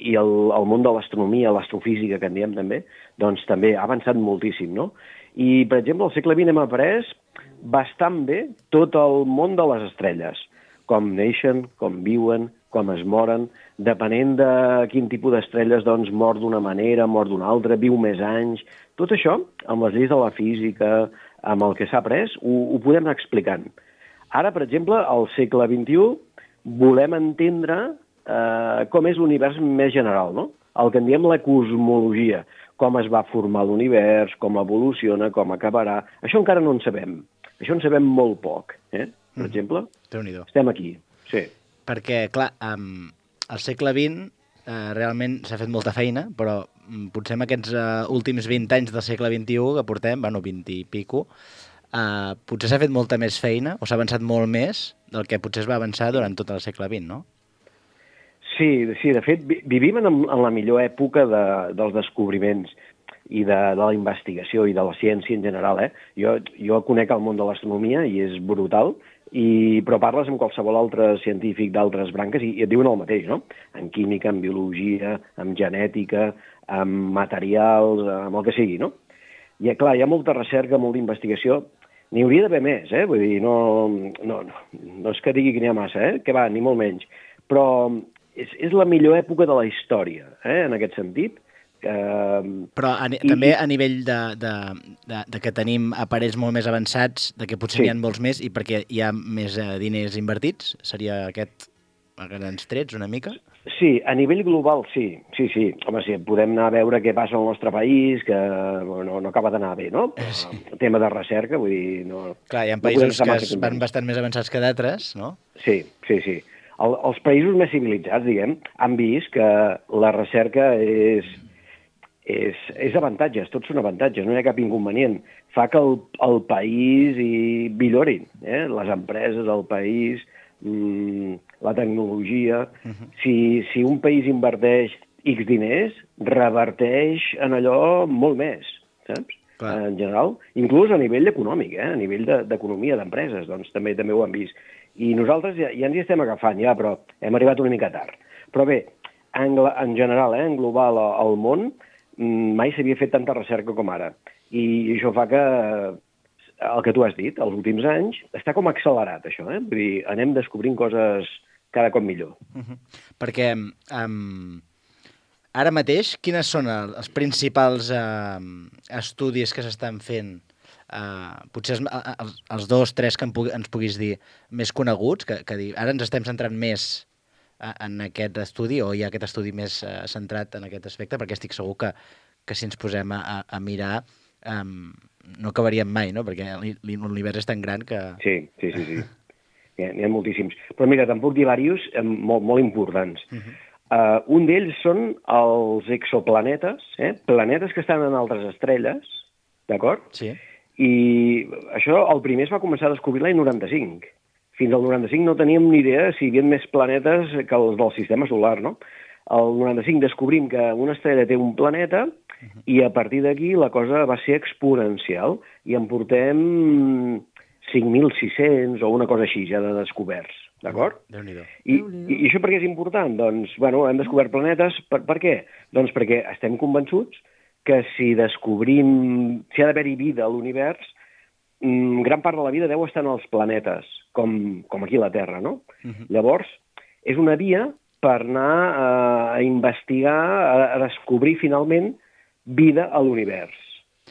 Speaker 10: i el, el món de l'astronomia, l'astrofísica, que en diem també, doncs també ha avançat moltíssim, no? I, per exemple, al segle vint hem après bastant bé tot el món de les estrelles, com neixen, com viuen, com es moren, depenent de quin tipus d'estrelles doncs, mor d'una manera, mor d'una altra, viu més anys. Tot això, amb les lleis de la física, amb el que s'ha après, ho, ho podem anar explicant. Ara, per exemple, al segle vint-i-u, volem entendre eh, com és l'univers més general, no? El que en diem la cosmologia, com es va formar l'univers, com evoluciona, com acabarà. Això encara no en sabem. Això en sabem molt poc, eh? Per mm. exemple.
Speaker 6: Déu-n'hi-do.
Speaker 10: Estem aquí, sí.
Speaker 6: Perquè, clar, um, al segle vint eh, realment s'ha fet molta feina, però um, potser en aquests uh, últims vint anys del segle vint-i-u que portem, bueno, vint i pico, uh, potser s'ha fet molta més feina, o s'ha avançat molt més del que potser es va avançar durant tot el segle vint, no?
Speaker 10: Sí, sí, de fet, vi vivim en, en la millor època de, dels descobriments i de, de la investigació i de la ciència en general, eh? Jo, jo conec el món de l'astronomia i és brutal, i, però parles amb qualsevol altre científic d'altres branques i, i et diuen el mateix, no? En química, en biologia, en genètica, en materials, amb el que sigui, no? I, clar, hi ha molta recerca, molta investigació. N'hi hauria d'haver més, eh? Vull dir, no, no, no, no és que digui que n'hi ha massa, eh? Que va, ni molt menys. Però és, és la millor època de la història, eh? En aquest sentit. Uh,
Speaker 6: Però a, i, també a nivell de, de, de, de que tenim aparells molt més avançats, de que potser sí. n'hi ha molts més i perquè hi ha més uh, diners invertits, seria aquest a grans trets una mica?
Speaker 10: Sí, a nivell global sí, sí, sí. Home, sí, podem anar a veure què passa al nostre país, que no, no acaba d'anar bé, no? Sí. El tema de recerca, vull dir... No,
Speaker 6: clar, hi ha països no que van bastant més avançats que d'altres, no?
Speaker 10: Sí, sí, sí. El, els països més civilitzats, diguem, han vist que la recerca és... És, és avantatges, tots són avantatges, no hi ha cap inconvenient. Fa que el, el país hi millorin, eh? Les empreses, el país, mmm, la tecnologia. Uh-huh. si, si un país inverteix X diners, reverteix en allò molt més, saps? Clar. En general, inclús a nivell econòmic, eh? A nivell d'economia, de, d'empreses, doncs també també ho han vist. I nosaltres ja, ja ens hi estem agafant, ja, però hem arribat una mica tard. Però bé, en, en general, eh? En global, al món, mai s'havia fet tanta recerca com ara. I això fa que, el que tu has dit, els últims anys, està com accelerat, això, eh? Vull dir, anem descobrint coses cada cop millor.
Speaker 6: Uh-huh. Perquè um, ara mateix, quines són els principals uh, estudis que s'estan fent? Uh, potser els, els, els dos, tres que ens puguis dir més coneguts, que, que ara ens estem centrant més en aquest estudi, o hi ha aquest estudi més uh, centrat en aquest aspecte, perquè estic segur que, que si ens posem a, a mirar um, no acabaríem mai, no? Perquè l'univers és tan gran que...
Speaker 10: Sí, sí, sí, sí. N'hi ha moltíssims. Però mira, te'n puc dir diversos molt, molt importants. Uh-huh. uh, un d'ells són els exoplanetes, eh? Planetes que estan en altres estrelles, d'acord?
Speaker 6: Sí.
Speaker 10: I això, el primer es va començar a descobrir l'any noranta-cinc. Fins al noranta-cinc no teníem ni idea si hi havia més planetes que els del sistema solar, no? Al noranta-cinc descobrim que una estrella té un planeta uh-huh. i a partir d'aquí la cosa va ser exponencial i en portem cinc mil sis-cents o una cosa així ja de descoberts, d'acord?
Speaker 6: Déu-n'hi-do.
Speaker 10: I, i, I això per què és important? Doncs, bueno, hem descobert planetes, per, per què? Doncs perquè estem convençuts que si descobrim, si ha d'haver-hi vida a l'univers, gran part de la vida deu estar en els planetes, com, com aquí a la Terra, no? Uh-huh. Llavors, és una via per anar a, a investigar, a, a descobrir finalment vida a l'univers.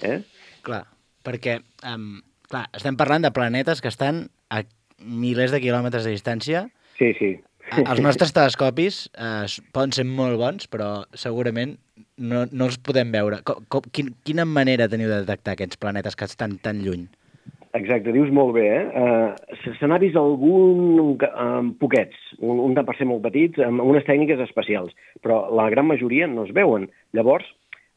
Speaker 10: Eh?
Speaker 6: Clar, perquè um, clar, estem parlant de planetes que estan a milers de quilòmetres de distància.
Speaker 10: Sí, sí.
Speaker 6: Els nostres telescopis eh, poden ser molt bons, però segurament no, no els podem veure. Com, com, quin, quina manera teniu de detectar aquests planetes que estan tan lluny?
Speaker 10: Exacte, dius molt bé, eh? Uh, se n'ha vist algun, um, poquets, un, un tant per ser molt petits, amb unes tècniques especials, però la gran majoria no es veuen. Llavors,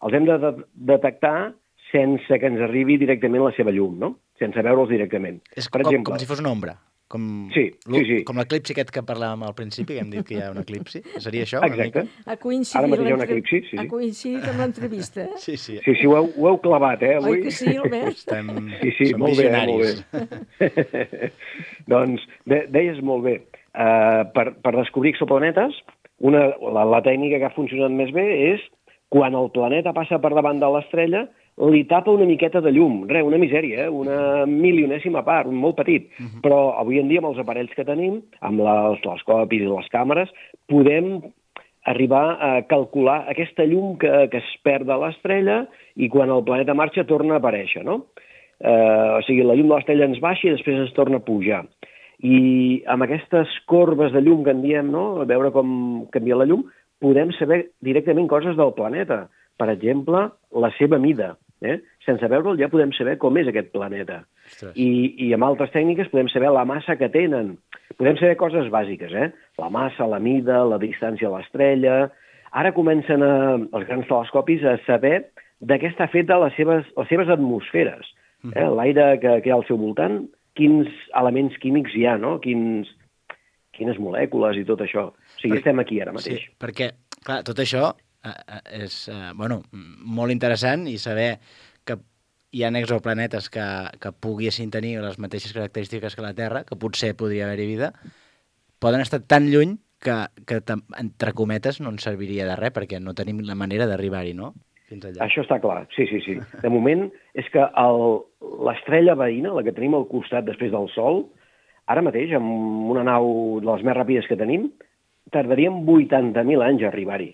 Speaker 10: els hem de, de detectar sense que ens arribi directament la seva llum, no? Sense veure'ls directament.
Speaker 6: És per com, exemple, com si fos una ombra. Com,
Speaker 10: sí, sí, sí.
Speaker 6: Com l'eclipsi aquest que parlàvem al principi, que hem dit que hi ha un eclipsi. Seria això?
Speaker 10: Exacte.
Speaker 5: Ha coincidit,
Speaker 10: Ara mateix hi ha un eclipsi, sí, sí.
Speaker 5: Ha coincidit amb l'entrevista, eh?
Speaker 6: Sí, sí.
Speaker 10: Sí, sí, ho heu, ho heu clavat, eh, avui?
Speaker 5: Oi que sí, Albert?
Speaker 6: Estem...
Speaker 10: Sí, sí,
Speaker 6: Som
Speaker 10: molt
Speaker 6: visionaris.
Speaker 10: bé, molt bé. Doncs, de, deies molt bé. Uh, per, per descobrir exoplanetes, una, la, la tècnica que ha funcionat més bé és quan el planeta passa per davant de l'estrella, li tapa una miqueta de llum, res, una misèria, eh? Una milionèsima part, un molt petit. Uh -huh. Però avui en dia, amb els aparells que tenim, amb la, els telescopis i les càmeres, podem arribar a calcular aquesta llum que, que es perd de l'estrella i quan el planeta marxa torna a aparèixer, no? Eh, o sigui, la llum de l'estrella ens baixa i després ens torna a pujar. I amb aquestes corbes de llum que en diem, no?, a veure com canvia la llum, podem saber directament coses del planeta. Per exemple, la seva mida. Eh? Sense veure'l ja podem saber com és aquest planeta. I, I amb altres tècniques podem saber la massa que tenen. Podem saber coses bàsiques, eh? La massa, la mida, la distància a l'estrella. Ara comencen a, els grans telescopis a saber de què està feta les seves, les seves atmosferes. Eh? L'aire que, que hi ha al seu voltant, quins elements químics hi ha, no? Quins, quines molècules i tot això. O sigui,
Speaker 6: per...
Speaker 10: estem aquí ara mateix.
Speaker 6: Sí, perquè, clar, tot això és eh, bueno, molt interessant i saber que hi ha exoplanetes que, que poguessin tenir les mateixes característiques que la Terra, que potser podria haver-hi vida, poden estar tan lluny que, que entre cometes no ens serviria de res perquè no tenim la manera d'arribar-hi, no? Fins allà.
Speaker 10: Això està clar, sí, sí, sí. De moment és que l'estrella veïna, la que tenim al costat després del Sol, ara mateix, amb una nau de les més ràpides que tenim, tardaríem vuitanta mil anys a arribar-hi.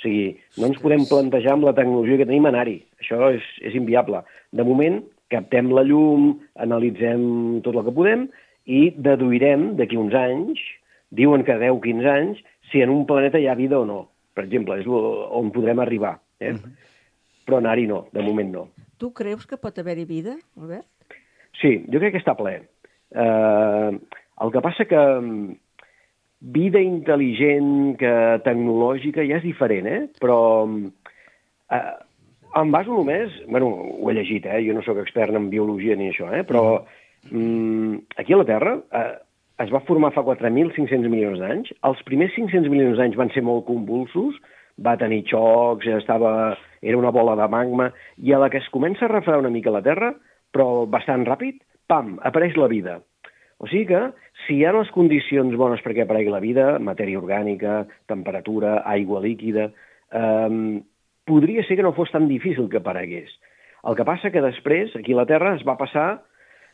Speaker 10: O sigui, no ens podem plantejar amb la tecnologia que tenim anar-hi. Això és, és inviable. De moment, captem la llum, analitzem tot el que podem i deduirem d'aquí uns anys, diuen que deu a quinze anys, si en un planeta hi ha vida o no. Per exemple, és on podrem arribar. Eh? Uh-huh. Però anar-hi no, de moment no.
Speaker 5: Tu creus que pot haver-hi vida, Albert?
Speaker 10: Sí, jo crec que està ple. Uh, el que passa que vida intel·ligent, que tecnològica, ja és diferent, eh? Però eh, em baso només... Bueno, ho he llegit, eh? Jo no sóc expert en biologia ni això, eh? Però mm, aquí a la Terra eh, es va formar fa quatre mil cinc-cents milions d'anys. Els primers cinc-cents milions d'anys van ser molt convulsos, va tenir xocs, estava, era una bola de magma, i a la que es comença a refredar una mica la Terra, però bastant ràpid, pam, apareix la vida. O sigui que, si hi ha les condicions bones perquè aparegui la vida, matèria orgànica, temperatura, aigua líquida, eh, podria ser que no fos tan difícil que aparegués. El que passa que després, aquí a la Terra, es va passar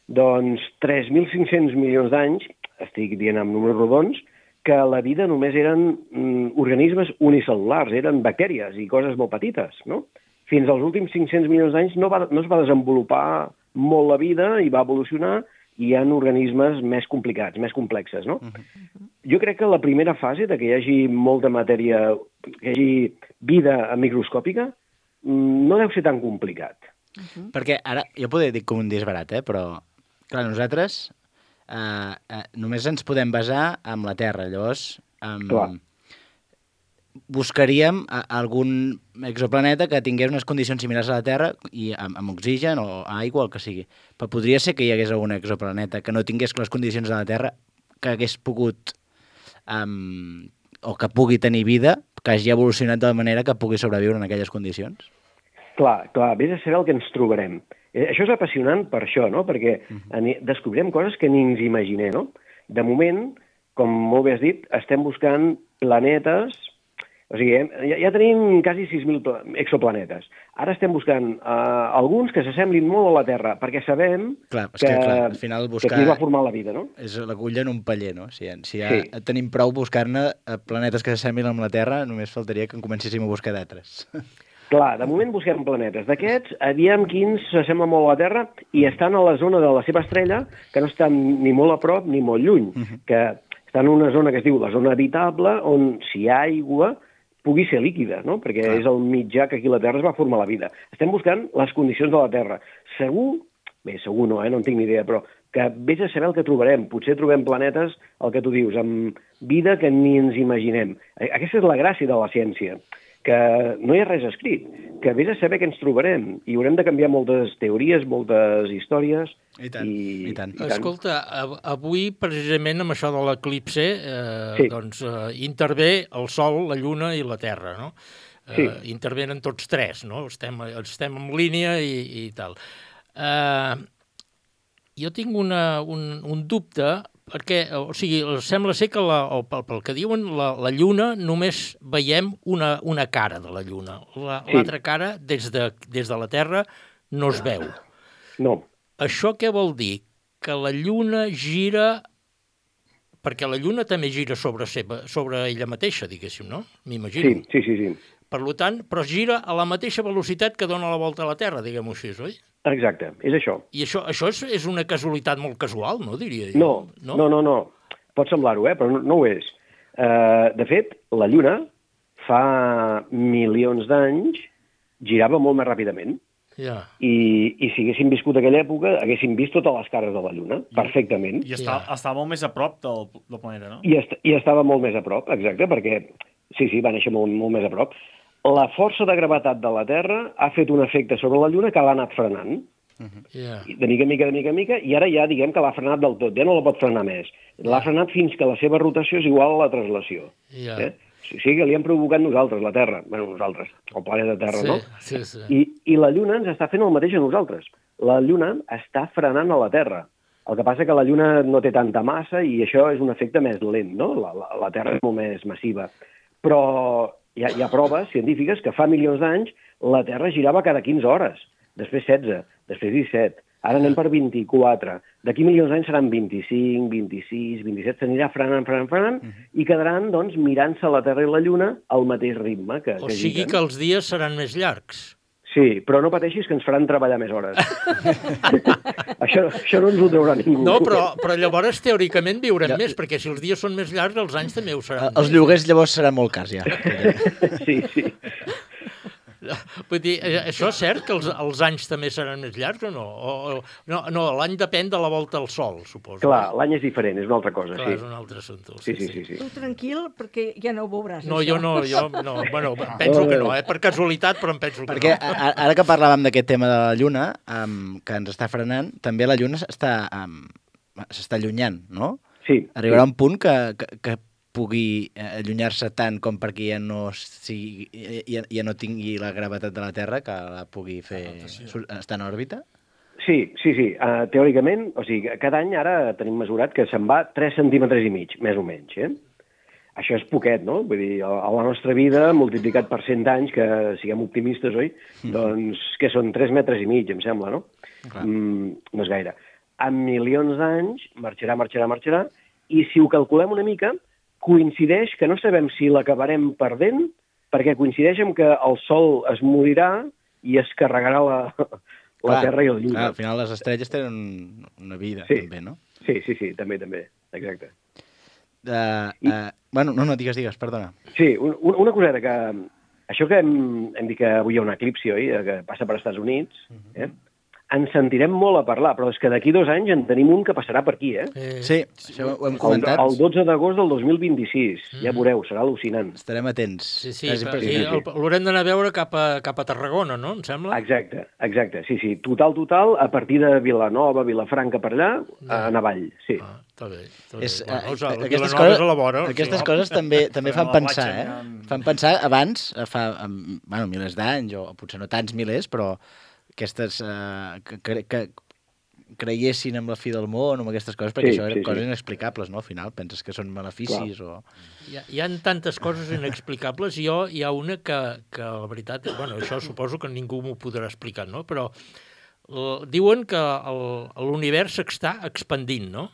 Speaker 10: doncs, tres mil cinc-cents milions d'anys, estic dient amb números rodons, que la vida només eren mm, organismes unicel·lulars, eren bactèries i coses molt petites, no? Fins als últims cinc-cents milions d'anys no, va, no es va desenvolupar molt la vida i va evolucionar, i hi ha organismes més complicats, més complexes, no? Uh-huh. Jo crec que la primera fase de que hi hagi molta matèria, que hi hagi vida microscòpica, no deu ser tan complicat.
Speaker 6: Uh-huh. Perquè ara, jo podria dir com un disbarat, eh? Però, clar, nosaltres eh, eh, només ens podem basar en la Terra, llavors... Um,
Speaker 10: clar.
Speaker 6: Buscaríem algun exoplaneta que tingués unes condicions similars a la Terra i amb, amb oxigen o aigua, el que sigui. Però podria ser que hi hagués algun exoplaneta que no tingués les condicions de la Terra, que hagués pogut um, o que pugui tenir vida, que hagi evolucionat de manera que pugui sobreviure en aquelles condicions?
Speaker 10: Clar, clar, vés a saber el que ens trobarem. Eh, això és apassionant per això, no? Perquè uh-huh. descobrirem coses que ni ens imaginem, no? De moment, com molt bé has dit, estem buscant planetes. O sigui, ja, ja tenim quasi sis mil exoplanetes. Ara estem buscant uh, alguns que s'assemblin molt a la Terra, perquè sabem
Speaker 6: clar,
Speaker 10: que,
Speaker 6: que, clar, al final buscar...
Speaker 10: que aquí va formar la vida, no?
Speaker 6: És l'agulla en un paller, no? Si, si ja
Speaker 10: sí.
Speaker 6: tenim prou buscar-ne planetes que s'assemblin amb la Terra, només faltaria que en comencéssim a buscar d'altres.
Speaker 10: Clar, de moment busquem planetes. D'aquests, aviam quins s'assemblen molt a la Terra i estan a la zona de la seva estrella, que no estan ni molt a prop ni molt lluny, uh-huh. que estan en una zona que es diu la zona habitable, on si hi ha aigua pugui ser líquida, no? Perquè Clar. És el mitjà que aquí a la Terra es va formar la vida. Estem buscant les condicions de la Terra. Segur, bé, segur no, eh? no en tinc ni idea, però que vés a saber el que trobarem. Potser trobem planetes, el que tu dius, amb vida que ni ens imaginem. Aquesta és la gràcia de la ciència, que no hi ha res escrit, que vés a saber què ens trobarem, i haurem de canviar moltes teories, moltes històries...
Speaker 6: I tant, i, i tant.
Speaker 4: I tant. Escolta, avui, precisament, amb això de l'eclipse, eh, sí. doncs, eh, intervé el Sol, la Lluna i la Terra, no? Eh, sí. Intervenen tots tres, no? Estem, estem en línia i, i tal. Eh, jo tinc una, un, un dubte, perquè, o sigui, sembla ser que, la, o pel, pel que diuen, la, la Lluna només veiem una, una cara de la Lluna. L'altra la, sí. cara, des de, des de la Terra, no es veu.
Speaker 10: No.
Speaker 4: Això què vol dir? Que la Lluna gira... Perquè la Lluna també gira sobre, seva, sobre ella mateixa, diguéssim, no? M'imagino.
Speaker 10: Sí, sí, sí, sí.
Speaker 4: Per tant, però gira a la mateixa velocitat que dona la volta a la Terra, diguem-ho així, oi?
Speaker 10: Exacte, és això.
Speaker 4: I això, això és, és una casualitat molt casual, no, diria jo?
Speaker 10: No, no, no, no. no. Pot semblar-ho, eh? però no, no ho és. Uh, de fet, la Lluna fa milions d'anys girava molt més ràpidament.
Speaker 4: Yeah.
Speaker 10: I, I si haguéssim viscut aquella època, haguéssim vist totes les cares de la Lluna, I, perfectament.
Speaker 3: I està, yeah. estava molt més a prop del, del planeta, no?
Speaker 10: I, est I estava molt més a prop, exacte, perquè, sí, sí, va néixer molt, molt més a prop. La força de gravetat de la Terra ha fet un efecte sobre la Lluna que l'ha anat frenant.
Speaker 4: Uh-huh. Yeah.
Speaker 10: De mica en mica, de mica en mica, i ara ja diguem que l'ha frenat del tot, ja no la pot frenar més. L'ha frenat fins que la seva rotació és igual a la translació.
Speaker 4: Yeah.
Speaker 10: Eh? O sigui que li hem provocat nosaltres, la Terra, bueno, nosaltres, el planeta Terra,
Speaker 4: sí,
Speaker 10: no?
Speaker 4: Sí, sí.
Speaker 10: I, I la Lluna ens està fent el mateix a nosaltres. La Lluna està frenant a la Terra. El que passa que la Lluna no té tanta massa i això és un efecte més lent, no? La, la, la Terra és molt més massiva. Però hi ha, hi ha proves científiques que fa milions d'anys la Terra girava cada quinze hores, després setze, després disset, ara anem per vint-i-quatre. D'aquí milions d'anys seran vint-i-cinc, vint-i-sis, vint-i-set, s'anirà frenant, frenant, frenant, uh -huh. i quedaran, doncs, mirant-se la Terra i la Lluna al mateix ritme que,
Speaker 4: o
Speaker 10: que
Speaker 4: sigui
Speaker 10: giren.
Speaker 4: Que els dies seran més llargs.
Speaker 10: Sí, però no pateixis que ens faran treballar més hores. això, això no ens ho traurà ningú.
Speaker 4: No, però, però llavors teòricament viurem ja. més, perquè si els dies són més llargs, els anys també ho seran.
Speaker 6: Els lloguers llavors seran molt cars, ja.
Speaker 10: sí, sí.
Speaker 4: Vull dir, això és cert, que els, els anys també seran més llargs o no? O, o, no, no l'any depèn de la volta al Sol, suposo.
Speaker 10: Clar, l'any és diferent, és una altra cosa,
Speaker 4: Clar,
Speaker 10: sí.
Speaker 4: és un altre assumpte.
Speaker 10: Sí, sí, sí. sí, sí.
Speaker 5: Tu tranquil, perquè ja no ho veuràs,
Speaker 4: no,
Speaker 5: això.
Speaker 4: Jo no, jo no. Bueno, penso que no, eh? Per casualitat, però em penso que
Speaker 6: perquè,
Speaker 4: no.
Speaker 6: Perquè ara que parlàvem d'aquest tema de la Lluna, um, que ens està frenant, també la Lluna s'està um, s'està allunyant, no?
Speaker 10: Sí.
Speaker 6: Arribarà
Speaker 10: sí.
Speaker 6: un punt que, que, que pugui allunyar-se tant com perquè ja no, sigui, ja, ja no tingui la gravetat de la Terra que la pugui fer estar en òrbita?
Speaker 10: Sí, sí, sí. Uh, teòricament, o sigui, cada any ara tenim mesurat que se'n va tres centímetres i mig, més o menys, eh? Això és poquet, no? Vull dir, a la nostra vida, multiplicat per cent anys, que siguem optimistes, oi? Mm. Doncs, que són tres metres i mig, em sembla, no? Mm, no és gaire. En milions d'anys, marxarà, marxarà, marxarà, i si ho calculem una mica, coincideix que no sabem si l'acabarem perdent, perquè coincideix amb que el Sol es morirà i es carregarà la, la clar, Terra i la Lluna.
Speaker 6: Clar, al final les estrelles tenen una vida,
Speaker 10: sí.
Speaker 6: també, no?
Speaker 10: Sí, sí, sí, també, també, exacte.
Speaker 6: Uh, uh, bueno, no, no, digues, digues, perdona.
Speaker 10: Sí, un, una coseta que... Això que hem, hem dit que avui hi ha un eclipsi, oi?, que passa per Estats Units, eh? Ens sentirem molt a parlar, però és que d'aquí dos anys en tenim un que passarà per aquí, eh?
Speaker 6: eh sí, això ho hem comentat.
Speaker 10: El, el dotze d'agost del dos mil vint-i-sis, mm. ja veureu, serà al·lucinant.
Speaker 6: Estarem atents.
Speaker 4: Sí, sí, però, sí, sí. L'haurem d'anar a veure cap a, cap a Tarragona, no, em sembla?
Speaker 10: Exacte, exacte, sí, sí, total, total, a partir de Vilanova, Vilafranca, per allà, a anar avall, sí.
Speaker 4: Ah, està bé, està bé.
Speaker 6: És,
Speaker 4: bueno, o sigui,
Speaker 6: aquestes
Speaker 4: Vilanova
Speaker 6: coses,
Speaker 4: és a la vora.
Speaker 6: aquestes
Speaker 4: sí.
Speaker 6: coses també també fan pensar, eh? Fan pensar abans, fa bueno, milers d'anys, o potser no tants milers, però aquestes uh, que, que, que creiessin en la fi del món o en aquestes coses, perquè sí, això eren sí, coses sí. inexplicables, no? Al final penses que són maleficis Clar. o...
Speaker 4: Hi ha, hi ha tantes coses inexplicables, i jo hi ha una que, que la veritat, bueno, això suposo que ningú m'ho podrà explicar, no? Però uh, diuen que l'univers s'està expandint, no?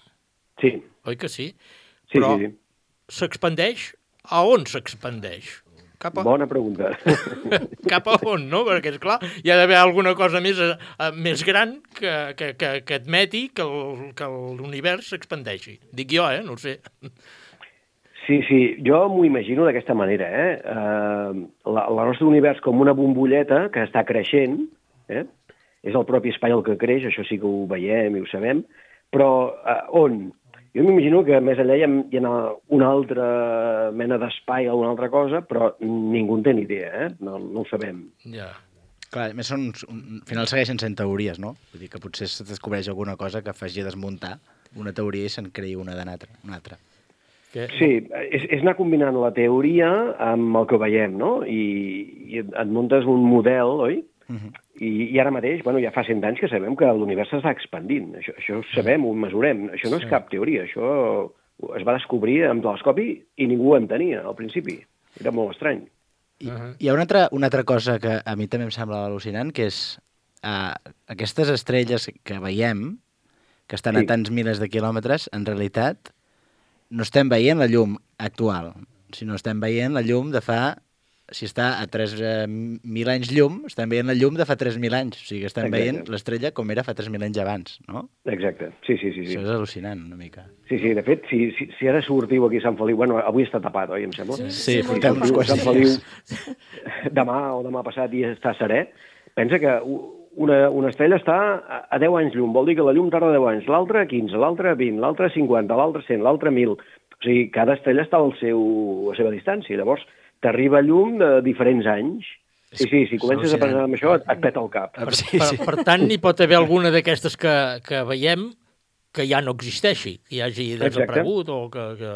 Speaker 10: Sí.
Speaker 4: Oi que sí?
Speaker 10: Sí,
Speaker 4: Però
Speaker 10: sí, sí.
Speaker 4: s'expandeix? A on s'expandeix? Cap a...
Speaker 10: Bona pregunta.
Speaker 4: Cap a on, no? Perquè, esclar, hi ha d'haver alguna cosa més, uh, més gran que, que, que, que admeti que el- que l'univers s'expandeixi. Dic jo, eh? No ho sé.
Speaker 10: Sí, sí, jo m'ho imagino d'aquesta manera, eh? Uh, la, la nostre univers com una bombolleta que està creixent, eh? És el propi espai el que creix, això sí que ho veiem i ho sabem, però uh, on? Jo m'imagino que més enllà hi ha, hi ha una altra mena d'espai o una altra cosa, però ningú en té ni idea, eh? No, no ho sabem.
Speaker 4: Ja.
Speaker 6: Clar, a més, són, un, al final segueixen sent teories, no? Vull dir que potser es descobreix alguna cosa que faci desmuntar una teoria i se'n creï una de l'altra. Una altra.
Speaker 4: Que...
Speaker 10: Sí, és, és anar combinant la teoria amb el que veiem, no? I, i et muntes un model, oi?
Speaker 6: Uh -huh.
Speaker 10: I, I ara mateix, bueno, ja fa cent anys que sabem que l'univers s'està expandint. Això, això ho sabem, ho mesurem. Això no és cap teoria, això es va descobrir amb telescopi i ningú ho entenia al principi. Era molt estrany.
Speaker 6: I, hi ha una altra, una altra cosa que a mi també em sembla al·lucinant, que és uh, aquestes estrelles que veiem, que estan
Speaker 10: Sí.
Speaker 6: a tants milers de quilòmetres, en realitat no estem veient la llum actual, sinó estem veient la llum de fa... Si està a tres mil anys llum, estem veient la llum de fa tres mil anys. O sigui, estem
Speaker 10: Exacte.
Speaker 6: veient l'estrella com era fa tres mil anys abans, no?
Speaker 10: Exacte, sí, sí, sí. sí.
Speaker 6: Això és al·lucinant, una mica.
Speaker 10: Sí, sí, de fet, si, si, si ara sortiu aquí a Sant Feliu... Bueno, avui està tapat, oi, em sembla?
Speaker 6: Sí,
Speaker 10: Si
Speaker 6: portem uns
Speaker 10: sortiu a
Speaker 6: quants
Speaker 10: Sant Feliu
Speaker 6: dies.
Speaker 10: demà o demà passat i està serè, pensa que una, una estrella està a- a deu anys llum, vol dir que la llum tarda deu anys, l'altra quinze, l'altra vint, l'altra cinquanta, l'altra cent, l'altra mil. O sigui, cada estrella està al seu, a la seva distància. Llavors, t'arriba llum de diferents anys. Sí, sí, si comences a pensar en això, et, et peta el cap.
Speaker 4: Per, per, per tant, n'hi pot haver alguna d'aquestes que, que veiem que ja no existeixi, que hi hagi desaparegut o que... que...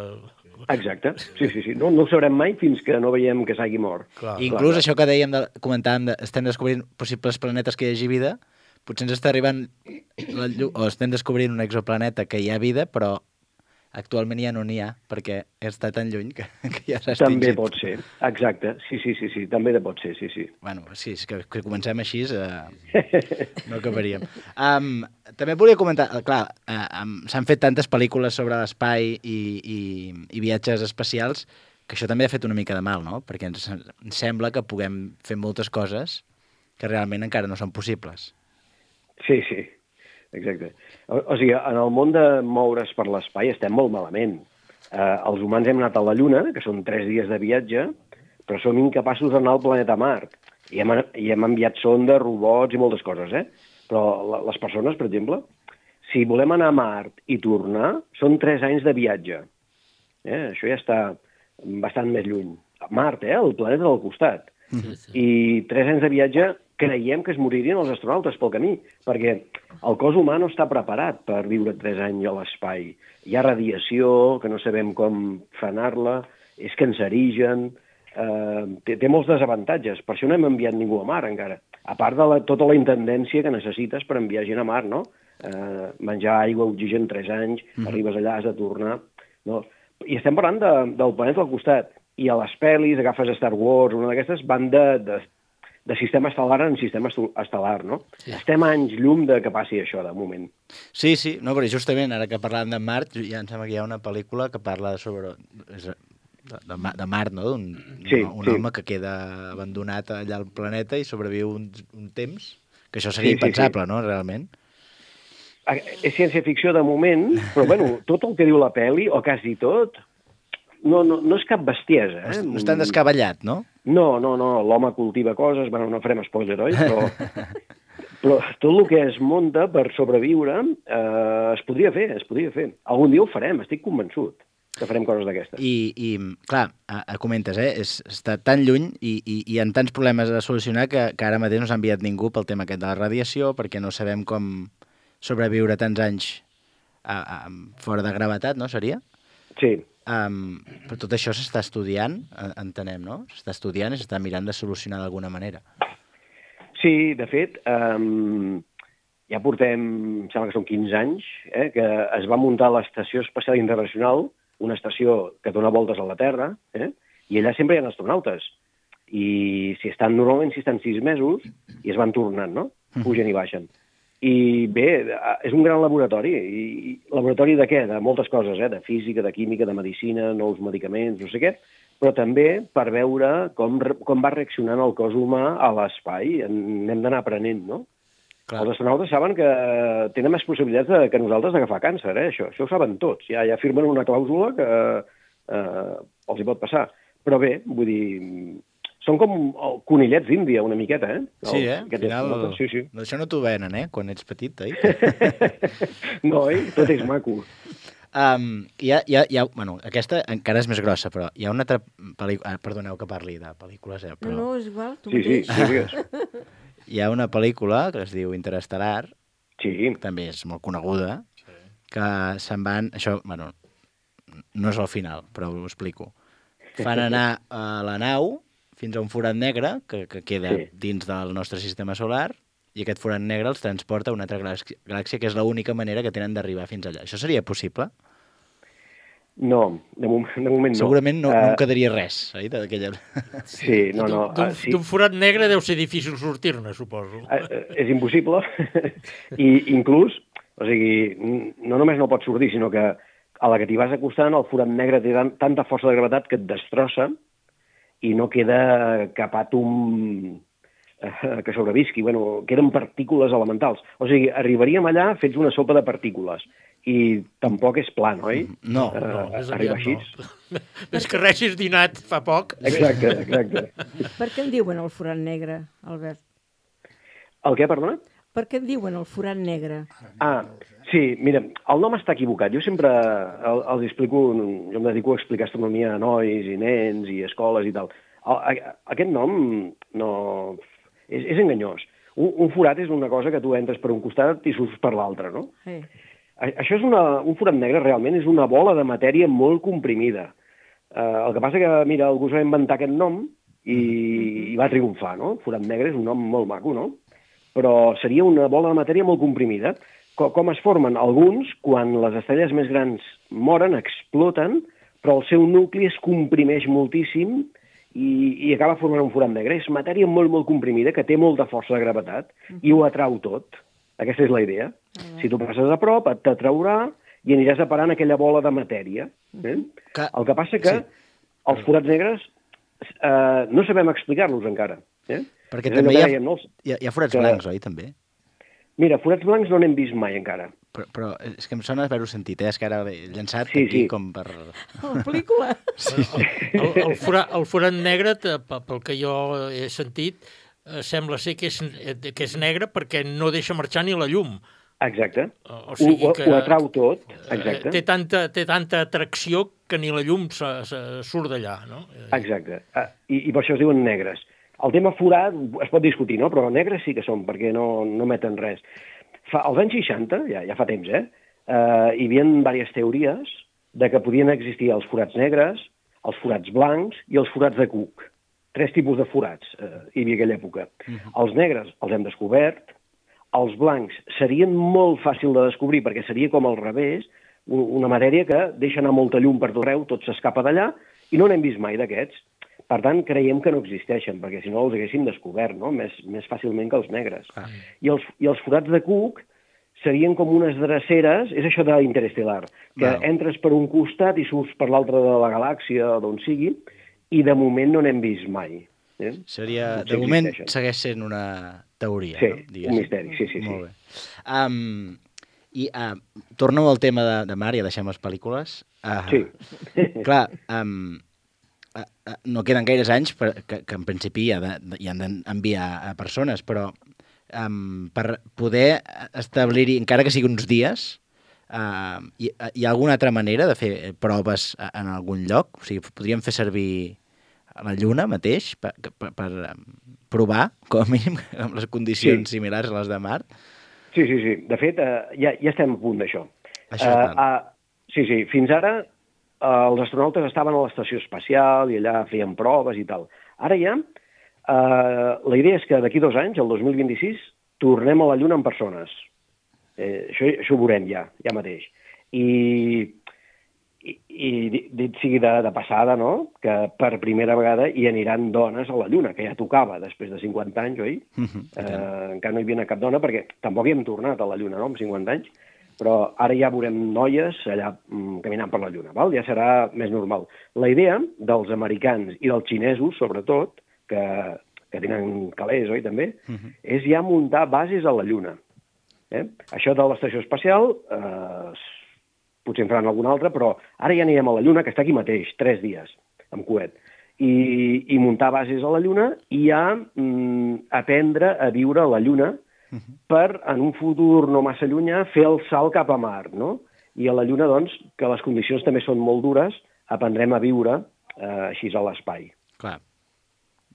Speaker 10: Exacte, sí, sí, sí. No, no ho sabrem mai fins que no veiem que s'hagi mort.
Speaker 4: Clar.
Speaker 6: Inclús això que dèiem, de, comentàvem, de, estem descobrint possibles planetes que hi hagi vida, potser ens està arribant, la llum, o estem descobrint un exoplaneta que hi ha vida, però actualment ja no n'hi ha, perquè està tan lluny que, que ja s'ha
Speaker 10: També
Speaker 6: extingit.
Speaker 10: pot ser, exacte. Sí, sí, sí, sí, també de pot ser, sí, sí.
Speaker 6: Bueno, sí, és que, que comencem així, eh, no acabaríem. Um, també volia comentar, eh, clar, uh, um, s'han fet tantes pel·lícules sobre l'espai i, i, i viatges espacials que això també ha fet una mica de mal, no? Perquè ens, ens sembla que puguem fer moltes coses que realment encara no són possibles.
Speaker 10: Sí, sí, exacte. O, o sigui, en el món de moure's per l'espai estem molt malament. Eh, els humans hem anat a la Lluna, que són tres dies de viatge, però som incapaços d'anar al planeta Mart. I hem, i hem enviat sondes, robots i moltes coses, eh? Però la, les persones, per exemple, si volem anar a Mart i tornar, són tres anys de viatge. Eh? Això ja està bastant més lluny. A Mart, eh? El planeta del costat.
Speaker 4: Sí, sí.
Speaker 10: I tres anys de viatge creiem que es moririen els astronautes pel camí, perquè el cos humà no està preparat per viure tres anys a l'espai. Hi ha radiació, que no sabem com frenar-la, és cancerigen, eh, té, té molts desavantatges. Per això no hem enviat ningú a Mar encara. A part de la, tota la intendència que necessites per enviar gent a Mar, no? Eh, menjar aigua, oxigen, tres anys, mm-hmm. arribes allà, has de tornar... No? I estem parlant de, del planeta al costat. I a les pel·lis, agafes Star Wars, una d'aquestes, van de, de, de sistema estel·lar en sistema estel·lar, no? Sí. Estem a anys llum de que passi això, de moment.
Speaker 6: Sí, sí, no, però justament ara que parlàvem de Mart, ja em sembla que hi ha una pel·lícula que parla sobre... És, de, de, de Mart, no? Un,
Speaker 10: Sí,
Speaker 6: un, un
Speaker 10: sí.
Speaker 6: home que queda abandonat allà al planeta i sobreviu un, un temps, que això seria
Speaker 10: Sí, sí,
Speaker 6: impensable,
Speaker 10: sí.
Speaker 6: no?, realment.
Speaker 10: Eh, És ciència-ficció de moment, però bueno, tot el que diu la pel·li, o quasi tot, no, no, no és cap bestiesa. Eh?
Speaker 6: No és tan descabellat, no?
Speaker 10: No, no, no, l'home cultiva coses, bueno, no farem spoiler, oi? Però, però tot el que es munta per sobreviure eh, es podria fer, es podria fer. Algun dia ho farem, estic convençut que farem coses d'aquestes.
Speaker 6: I, i clar, a, a comentes, eh? És, està tan lluny i, i, i hi ha tants problemes a solucionar que, que ara mateix no s'ha enviat ningú pel tema aquest de la radiació, perquè no sabem com sobreviure tants anys a, a, fora de gravetat, no, seria?
Speaker 10: Sí.
Speaker 6: Um, però tot això s'està estudiant, entenem, no? S'està estudiant i s'està mirant de solucionar d'alguna manera.
Speaker 10: Sí, de fet, um, ja portem, em sembla que són quinze anys, eh, que es va muntar l'Estació Espacial Internacional, una estació que dona voltes a la Terra, eh, i allà sempre hi ha astronautes. I si estan, normalment si estan sis mesos, i es van tornant, no? Pugen i baixen. I bé, és un gran laboratori. I laboratori de què? De moltes coses, eh? De física, de química, de medicina, nous medicaments, no sé què, però també per veure com, com va reaccionant el cos humà a l'espai. N'hem d'anar aprenent, no? Clar. Els astronautes saben que tenen més possibilitats de, que nosaltres d'agafar càncer, eh? Això, això ho saben tots. Ja, ja firmen una clàusula que eh, els hi pot passar. Però bé, vull dir, són com conillets d'Índia, una miqueta, eh?
Speaker 6: Sí, eh? Al final,
Speaker 10: sí, sí.
Speaker 6: Això no t'ho venen, eh? Quan ets petit, eh?
Speaker 10: No, eh? Tot és maco.
Speaker 6: Um, hi ha, hi ha, hi ha, bueno, aquesta encara és més grossa, però hi ha una altra pel·lícula... Ah, perdoneu que parli de pel·lícules, eh? Però...
Speaker 5: No, no, és igual, tu
Speaker 10: sí,
Speaker 5: mateix.
Speaker 10: Sí, sí,
Speaker 6: hi ha una pel·lícula que es diu Interestel·lar,
Speaker 10: sí.
Speaker 6: També és molt coneguda, sí. Que se'n van... Això, bueno, no és al final, però ho explico. Fan anar a la nau fins a un forat negre que, que queda sí. Dins del nostre sistema solar, i aquest forat negre els transporta a una altra galàxia, que és l'única manera que tenen d'arribar fins allà. Això seria possible?
Speaker 10: No, de, moment, de moment no.
Speaker 6: Segurament no,
Speaker 10: uh...
Speaker 6: no en quedaria res, oi? D'aquella...
Speaker 10: Sí, no, no.
Speaker 4: D'un
Speaker 10: uh, sí.
Speaker 4: forat negre deu ser difícil sortir-ne, suposo.
Speaker 10: Uh, uh, és impossible. I inclús, o sigui, no només no pots sortir, sinó que a la que t'hi vas acostant, el forat negre té tanta força de gravetat que et destrossa i no queda cap àtom que sobrevisqui. Bueno, queden partícules elementals. O sigui, arribaríem allà fets una sopa de partícules. I tampoc és plan, oi?
Speaker 6: No,
Speaker 10: uh,
Speaker 4: no, és
Speaker 10: arriba així.
Speaker 4: No. Més que res és dinat fa poc.
Speaker 10: Exacte, exacte.
Speaker 5: Per què en diuen el forat negre, Albert?
Speaker 10: El què, perdona?
Speaker 5: Per què en diuen el forat negre?
Speaker 10: Ah, sí, mira, el nom està equivocat. Jo sempre el, els explico, jo em dedico a explicar astronomia a nois i nens i escoles i tal. El, aquest nom no... És, és enganyós. Un, un forat és una cosa que tu entres per un costat i surts per l'altre, no?
Speaker 5: Sí.
Speaker 10: Això és una, un forat negre realment és una bola de matèria molt comprimida. Uh, el que passa que, mira, algú s'ha inventat aquest nom i, i va triomfar, no? Forat negre és un nom molt maco, no? Però seria una bola de matèria molt comprimida. Com, com es formen? Alguns, quan les estrelles més grans moren, exploten, però el seu nucli es comprimeix moltíssim i, i acaba formant un forat negre. És matèria molt, molt comprimida, que té molta força de gravetat i ho atrau tot. Aquesta és la idea. Uh-huh. Si tu passes a prop, et t'atraurà i aniràs a parar en aquella bola de matèria. Eh?
Speaker 6: Que...
Speaker 10: El que passa que sí. Els forats negres eh, no sabem explicar-los encara. Eh?
Speaker 6: Perquè és també hi ha, hi, ha, hi ha forats que... blancs, oi, també?
Speaker 10: Mira, forats blancs no n'hem vist mai encara.
Speaker 6: Però, però és que em sona haver-ho sentit, eh? És que ara he llançat
Speaker 10: sí,
Speaker 6: aquí
Speaker 10: sí.
Speaker 6: Com per...
Speaker 5: La pel·lícula.
Speaker 4: Sí. El, el, el, forat, el forat negre, pel que jo he sentit, sembla ser que és, que és negre perquè no deixa marxar ni la llum.
Speaker 10: Exacte.
Speaker 4: O sigui
Speaker 10: ho,
Speaker 4: que
Speaker 10: ho atrau tot. Exacte.
Speaker 4: Té tanta, té tanta atracció que ni la llum se, se surt d'allà, no?
Speaker 10: Exacte. I, I per això es diuen negres. El tema forat es pot discutir, no? Però negres sí que són, perquè no, no meten res. Fa, als anys seixanta, ja, ja fa temps, eh? Uh, hi havia diverses teories de que podien existir els forats negres, els forats blancs i els forats de Cook. Tres tipus de forats uh, hi havia aquella època. Uh-huh. Els negres els hem descobert, els blancs serien molt fàcil de descobrir perquè seria com al revés, una matèria que deixa anar molta llum per tot arreu, tot s'escapa d'allà, i no n'hem vist mai d'aquests. Per tant, creiem que no existeixen, perquè si no els haguéssim descobert, no? més, més fàcilment que els negres. Ah. I, els, I els forats de Cook serien com unes dreceres, és això d'Interestel·lar, que wow. entres per un costat i surts per l'altre de la galàxia, d'on sigui, i de moment no n'hem vist mai. Eh?
Speaker 6: Seria, de moment segueix sent una teoria,
Speaker 10: sí,
Speaker 6: no?
Speaker 10: Sí, un misteri, sí, sí.
Speaker 6: Molt bé. Um, I uh, torno al tema de, de mar, ja deixem les pel·lícules. Uh,
Speaker 10: sí.
Speaker 6: Clar, um, uh, uh, no queden gaires anys per, que, que en principi hi, ha de, hi han d'enviar a persones, però um, per poder establir-hi, encara que sigui uns dies, uh, hi, hi ha alguna altra manera de fer proves en algun lloc? O sigui, podríem fer servir a la Lluna mateix per, per, per provar, com a mínim, amb les condicions sí. similars a les de Mart?
Speaker 10: Sí, sí, sí. De fet, uh, ja, ja estem a punt d'això.
Speaker 6: Això uh,
Speaker 10: uh, sí, sí. Fins ara uh, els astronautes estaven a l'estació espacial i allà feien proves i tal. Ara ja, uh, la idea és que d'aquí dos anys, el dos mil vint-i-sis, tornem a la Lluna en persones. Eh, això, això ho veurem ja, ja mateix. I, i, i dit sigui de, de passada, no?, que per primera vegada hi aniran dones a la Lluna, que ja tocava després de cinquanta anys, oi?
Speaker 6: Mhm,
Speaker 10: eh, encara no hi havia cap dona, perquè tampoc hi hem tornat a la Lluna, no?, amb cinquanta anys, però ara ja veurem noies allà mm, caminant per la Lluna, val? Ja serà més normal. La idea dels americans i dels xinesos, sobretot, que, que tenen calés, oi, també,
Speaker 6: mhm.
Speaker 10: és ja muntar bases a la Lluna. Eh? Això de l'estació espacial, eh, potser en faran alguna altra, però ara ja anirem a la Lluna, que està aquí mateix, tres dies, amb coet, i, i muntar bases a la Lluna i ja mm, aprendre a viure a la Lluna per, en un futur no massa llunyà, fer el salt cap a Mart, no? I a la Lluna, doncs, que les condicions també són molt dures, aprendrem a viure eh, així a l'espai.
Speaker 6: Clar.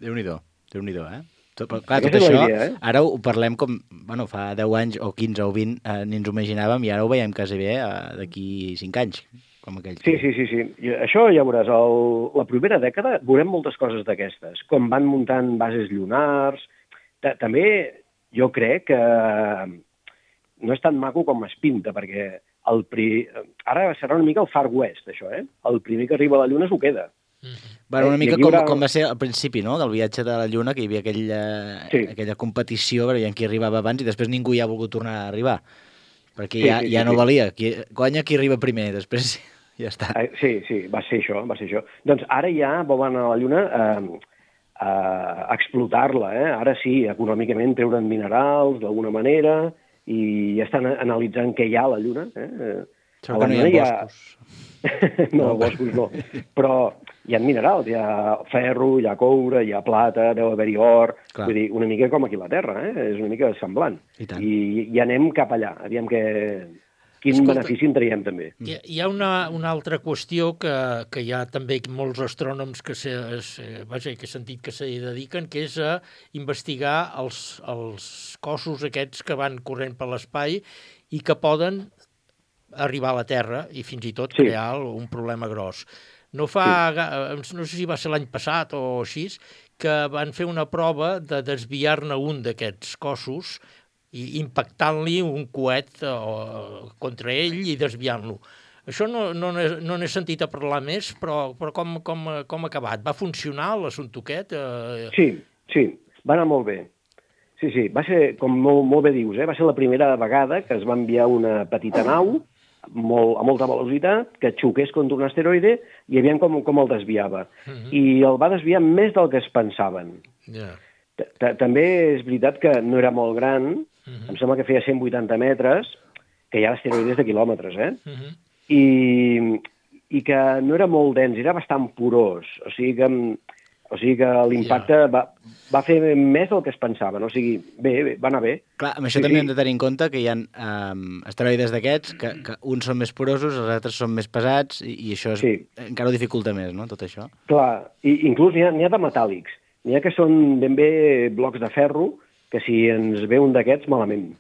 Speaker 6: Déu-n'hi-do, Déu-n'hi-do, eh? Tot, però, clar, tot
Speaker 10: Aquesta és la
Speaker 6: això,
Speaker 10: idea, eh?
Speaker 6: ara ho parlem com, bueno, fa deu anys o quinze o vint, eh, ni ens ho imaginàvem, i ara ho veiem quasi bé eh, d'aquí cinc anys, com aquell.
Speaker 10: Sí, sí, sí, sí. I això ja veuràs, el, la propera dècada veurem moltes coses d'aquestes, com van muntant bases lunars. Ta També jo crec que no és tan maco com es pinta, perquè el pri... ara serà una mica el Far West, això, eh? El primer que arriba a la Lluna s'ho queda.
Speaker 6: Bueno, una
Speaker 10: Eh,
Speaker 6: mica
Speaker 10: i aquí
Speaker 6: com,
Speaker 10: haurà-
Speaker 6: com va ser al principi, no?, del viatge de la Lluna, que hi havia aquella,
Speaker 10: Sí.
Speaker 6: aquella competició, veient qui arribava abans, i després ningú hi ha volgut tornar a arribar, perquè
Speaker 10: Sí,
Speaker 6: ja,
Speaker 10: sí,
Speaker 6: ja
Speaker 10: sí,
Speaker 6: no
Speaker 10: sí.
Speaker 6: valia. Qui, guanya qui arriba primer, després ja està.
Speaker 10: Eh, Sí, sí, va ser això, va ser això. Doncs ara ja volen a la Lluna eh, a explotar-la, eh? Ara sí, econòmicament treure'n minerals d'alguna manera i ja estan analitzant què hi ha a la Lluna. Eh?
Speaker 6: Segur
Speaker 10: A la
Speaker 6: que no hi
Speaker 10: Lluna
Speaker 6: ha boscos.
Speaker 10: no, boscos no. Però hi ha minerals, hi ha ferro, hi ha coure, hi ha plata, deu haver-hi or.
Speaker 6: Clar.
Speaker 10: Vull dir, una mica com aquí a la Terra, eh? És una mica semblant.
Speaker 6: I tant.
Speaker 10: I, i anem cap allà, aviam que... quin
Speaker 4: Escolta,
Speaker 10: benefici en traiem també.
Speaker 4: Hi ha, hi ha una, una altra qüestió que, que hi ha també molts astrònoms que, se, es, vaja, que he sentit que s'hi dediquen, que és a investigar els, els cossos aquests que van corrent per l'espai i que poden arribar a la Terra i fins i tot
Speaker 10: Sí.
Speaker 4: crear un problema gros. No fa, sí. no sé si va ser l'any passat o així, que van fer una prova de desviar-ne un d'aquests cossos i impactant-li un coet eh, contra ell i desviant-lo. Això no, no, n'he- no n'he sentit a parlar més, però, però com, com, com ha acabat? Va funcionar l'assumpte aquest? Eh,
Speaker 10: Sí, sí, va anar molt bé. Sí, sí, va ser, com molt, molt bé dius, eh? Va ser la primera vegada que es va enviar una petita nau molt, a molta velocitat, que xoqués contra un asteroide i aviam com, com el desviava.
Speaker 4: Uh -huh.
Speaker 10: I el va desviar més del que es pensaven.
Speaker 4: yeah.
Speaker 10: Ta- ta- També és veritat que no era molt gran,
Speaker 4: Uh -huh.
Speaker 10: em sembla que feia cent vuitanta metres, que hi ha asteroides de quilòmetres, eh?
Speaker 4: Uh -huh.
Speaker 10: I, i que no era molt dens, era bastant porós. O sigui que, o sigui que l'impacte
Speaker 4: Ja.
Speaker 10: va, va fer més del que es pensaven. O sigui, bé, bé va anar bé.
Speaker 6: Clar, amb això
Speaker 10: Sí,
Speaker 6: també
Speaker 10: sí.
Speaker 6: hem de tenir en compte que hi ha um, asteroides d'aquests, que, que uns són més porosos, els altres són més pesats, i, i això és,
Speaker 10: Sí.
Speaker 6: encara ho dificulta més, no?, tot això.
Speaker 10: Clar, i inclús n'hi ha, n'hi ha de metàl·lics. N'hi ha que són ben bé blocs de ferro, que si ens ve un d'aquests, malament.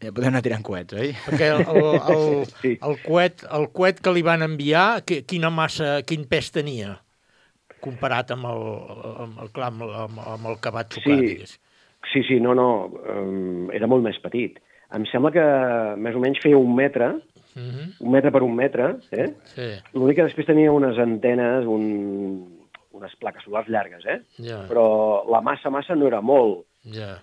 Speaker 6: Ja podem anar tirant coets, oi?
Speaker 4: Perquè el, el, el,
Speaker 10: Sí.
Speaker 4: el, coet, el coet que li van enviar, que, quina massa, quin pes tenia comparat amb el, amb el, clar, amb el, amb, amb el que va xocar,
Speaker 10: Sí.
Speaker 4: digués.
Speaker 10: Sí, sí, no, no, um, era molt més petit. Em sembla que més o menys feia un metre,
Speaker 4: Uh -huh.
Speaker 10: un metre per un metre, eh?
Speaker 4: Sí,
Speaker 10: L'únic que després tenia unes antenes, un, unes plaques solars llargues, eh?
Speaker 4: ja,
Speaker 10: Però la massa, massa no era molt.
Speaker 4: ja.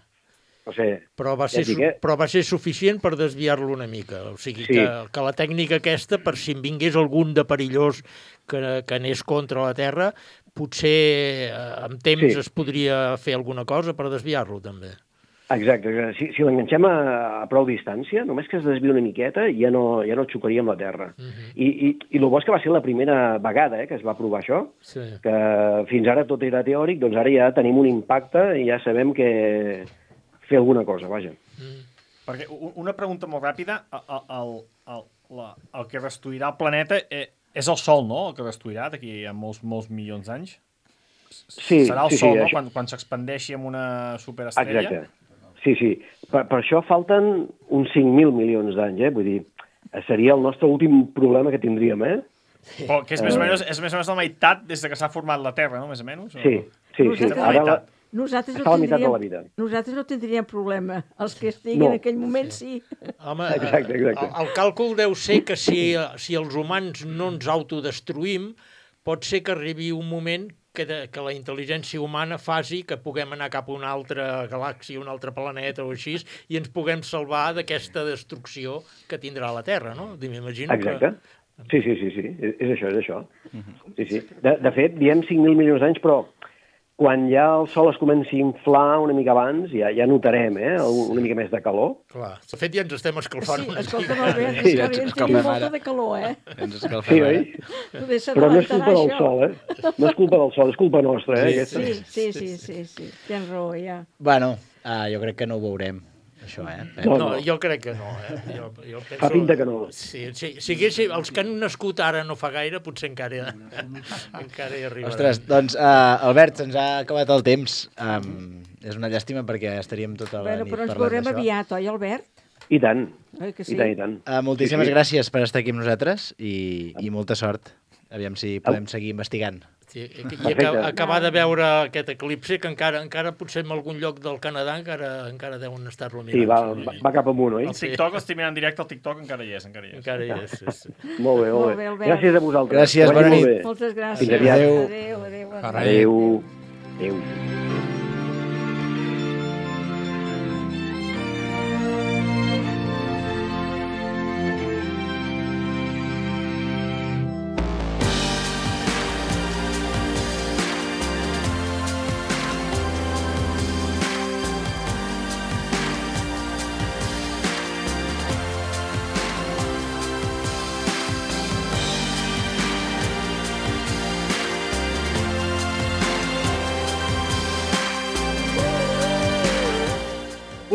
Speaker 10: No sé,
Speaker 4: Però va,
Speaker 10: Ja
Speaker 4: ser,
Speaker 10: et dic,
Speaker 4: su-
Speaker 10: eh?
Speaker 4: però va ser suficient per desviar-lo una mica. O sigui,
Speaker 10: Sí.
Speaker 4: que, que la tècnica aquesta, per si en vingués algun de perillós que, que anés contra la Terra, potser eh, amb temps
Speaker 10: Sí.
Speaker 4: es podria fer alguna cosa per desviar-lo, també.
Speaker 10: exacte. Si, si l'enganxem a, a prou distància, només que es desvia una miqueta, ja no, ja no xocaria amb la Terra.
Speaker 4: Uh -huh.
Speaker 10: I, i, I el bo és que va ser la primera vegada eh, que es va provar això,
Speaker 4: Sí.
Speaker 10: que fins ara tot era teòric, doncs ara ja tenim un impacte i ja sabem que fer alguna cosa, vaja.
Speaker 3: Perquè u- una pregunta molt ràpida, el, el, el, la, el que destruirà el planeta eh, és el Sol, no?, el que destruirà d'aquí a molts, molts milions d'anys?
Speaker 10: Sí,
Speaker 3: Serà el
Speaker 10: sí,
Speaker 3: Sol,
Speaker 10: sí,
Speaker 3: no?,
Speaker 10: això-
Speaker 3: quan, quan s'expandeixi amb una superestrella?
Speaker 10: Exacte. Sí, sí. Per, per això falten uns cinc mil milions d'anys, eh? Vull dir, seria el nostre últim problema que tindríem, eh?
Speaker 3: Però que és més, o menys, és més o menys la meitat des de que s'ha format la Terra, no?, més o menys? O...
Speaker 10: Sí, sí, sí.
Speaker 3: Estem a la
Speaker 10: Ara la,
Speaker 3: meitat.
Speaker 5: Nosaltres no,
Speaker 10: està a la meitat de la
Speaker 5: tindríem,
Speaker 10: vida.
Speaker 5: nosaltres no tindríem problema. Els que estiguin
Speaker 10: No.
Speaker 5: en aquell moment, sí.
Speaker 4: Home,
Speaker 10: Exacte, exacte.
Speaker 4: El, el càlcul deu ser que si, si els humans no ens autodestruïm, pot ser que arribi un moment que, de, que la intel·ligència humana faci que puguem anar cap a una altra galàxia, un altre planeta o així, i ens puguem salvar d'aquesta destrucció que tindrà la Terra, no? M'imagino
Speaker 10: Exacte.
Speaker 4: que...
Speaker 10: Sí, sí, sí, sí. És, és això, és això. Sí, sí. De, de fet, diem cinc mil milions d'anys, però quan ja el Sol es comenci a inflar una mica abans, ja, ja notarem eh, una mica més de calor.
Speaker 4: Clar, de fet ja ens estem escalfant.
Speaker 5: Sí, escolta'm, Albert,
Speaker 6: Sí,
Speaker 5: és que
Speaker 6: ja
Speaker 5: ara
Speaker 6: ens
Speaker 5: ja en
Speaker 6: escalfem
Speaker 5: tenim molta
Speaker 6: ara.
Speaker 5: de calor, eh?
Speaker 6: Ens
Speaker 10: Sí,
Speaker 6: escalfem
Speaker 10: oi?
Speaker 6: ara.
Speaker 5: Poder
Speaker 10: Però no és culpa del
Speaker 5: s'adelantarà
Speaker 10: Sol, eh? No és culpa del Sol, és culpa nostra, eh? aquesta.
Speaker 5: Sí, sí, sí, sí, sí. Tens raó, ja.
Speaker 6: Bueno, uh, jo crec que no ho veurem, això, eh?
Speaker 10: No,
Speaker 4: No,
Speaker 10: no.
Speaker 4: jo crec que no. Eh? Jo, jo penso...
Speaker 10: Fa pinta que no.
Speaker 4: Sí, sí, si haguessi, els que han nascut ara no fa gaire, potser encara, encara hi arribaran.
Speaker 6: Ostres, doncs, uh, Albert, se'ns ha acabat el temps. Um, és una llàstima perquè estaríem tota la
Speaker 5: Bueno,
Speaker 6: nit
Speaker 5: però ens
Speaker 6: parlant
Speaker 5: veurem
Speaker 6: d'això.
Speaker 5: aviat, oi, Albert?
Speaker 10: I tant,
Speaker 5: Oi que
Speaker 10: i
Speaker 5: sí?
Speaker 10: tant, i tant.
Speaker 6: Uh, moltíssimes
Speaker 10: Sí, sí.
Speaker 6: gràcies per estar aquí amb nosaltres i, i molta sort. Aviam si podem seguir investigant.
Speaker 4: Sí, i, i
Speaker 10: Perfecte.
Speaker 4: aca- acabar de veure aquest eclipsi, que encara encara potser en algun lloc del Canadà encara encara deuen estar-lo mirant.
Speaker 10: Sí, va, va, va cap amunt, oi?
Speaker 3: El TikTok, estic mirant en directe, el TikTok encara hi és, encara hi és.
Speaker 4: Encara hi és, sí, sí.
Speaker 10: Molt bé, molt
Speaker 5: Molt
Speaker 10: bé.
Speaker 5: bé, Albert.
Speaker 10: Gràcies a vosaltres.
Speaker 6: Gràcies,
Speaker 10: Que vagi
Speaker 6: bona
Speaker 10: molt
Speaker 6: nit.
Speaker 10: bé.
Speaker 5: Moltes gràcies.
Speaker 10: Fins aviat.
Speaker 5: Adéu, adéu. adéu.
Speaker 10: Adéu. Adéu.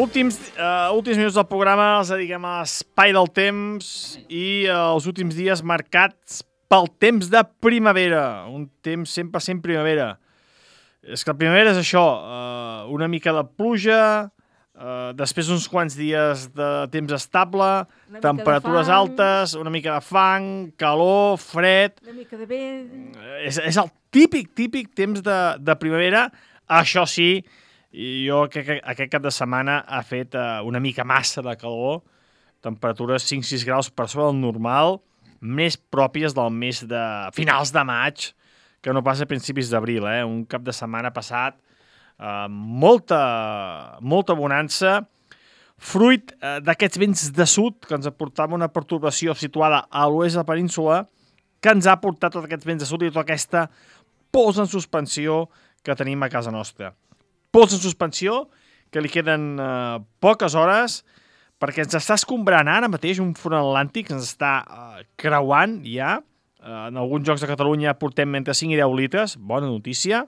Speaker 3: Últims, uh, últims minuts del programa els dediquem a l'espai del temps i uh, els últims dies marcats pel temps de primavera. Un temps cent per cent primavera. És que la primavera és això, uh, una mica de pluja, uh, després uns quants dies de temps estable,
Speaker 5: Una mica
Speaker 3: temperatures
Speaker 5: de fang.
Speaker 3: altes, una mica de fang, calor, fred...
Speaker 5: Una mica de vent.
Speaker 3: És, és el típic, típic temps de, de primavera. Això sí, i jo crec que aquest cap de setmana ha fet uh, una mica massa de calor, temperatures cinc sis graus per sobre del normal, més pròpies del mes de finals de maig, que no pas a principis d'abril, eh? Un cap de setmana passat, uh, molta, molta bonança, fruit uh, d'aquests vents de sud, que ens aportava una pertorbació situada a l'oest de la península, que ens ha portat tots aquests vents de sud i tota aquesta pols en suspensió que tenim a casa nostra. Pols en suspensió, que li queden eh, poques hores, perquè ens està escombrant ara mateix un front atlàntic, ens està eh, creuant ja. Eh, en alguns jocs de Catalunya portem entre cinc i deu litres, bona notícia.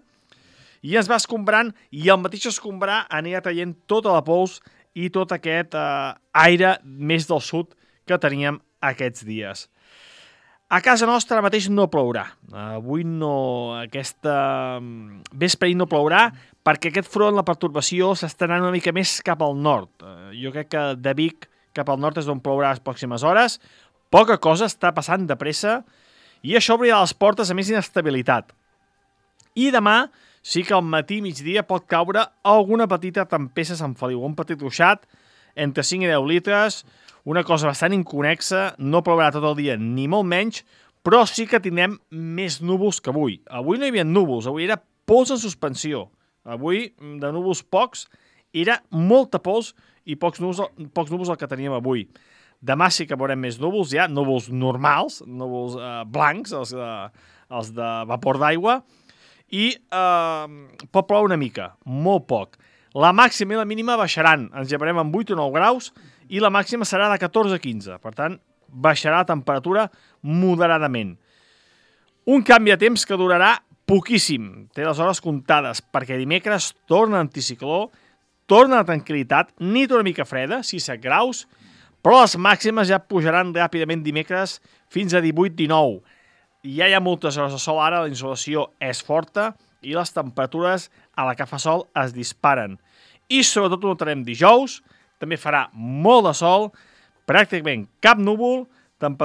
Speaker 3: I ens va escombrant, i el mateix escombrar anirà traient tota la pols i tot aquest eh, aire més del sud que teníem aquests dies. A casa nostra ara mateix no plourà. Avui no, aquesta vespre no plourà perquè aquest front, la pertorbació, s'està anant una mica més cap al nord. Jo crec que de Vic cap al nord és on plourà les pròximes hores. Poca cosa està passant de pressa i això obrirà les portes a més inestabilitat. I demà sí que al matí i migdia pot caure alguna petita tempesta a Sant Feliu, un petit ruixat entre cinc i deu litres, una cosa bastant inconexa, no plourà tot el dia ni molt menys, però sí que tindrem més núvols que avui. Avui no hi havia núvols, avui era pols en suspensió. Avui, de núvols pocs, era molta pols i pocs núvols, pocs núvols el que teníem avui. Demà sí que veurem més núvols, ja, núvols normals, núvols eh, blancs, els, eh, els de vapor d'aigua, i eh, pot ploure una mica, molt poc. La màxima i la mínima baixaran, ens llevarem amb vuit o nou graus, i la màxima serà de catorze a quinze. Per tant, baixarà la temperatura moderadament. Un canvi de temps que durarà poquíssim. Té les hores comptades, perquè dimecres torna l'anticicló, torna la tranquil·litat, nit una mica freda, sis a set graus, però les màximes ja pujaran ràpidament dimecres fins a divuit dinou. Ja hi ha moltes hores de sol ara, la insolació és forta i les temperatures a la que fa sol es disparen. I sobretot ho notarem dijous, també farà molt de sol, pràcticament cap núvol, temperatures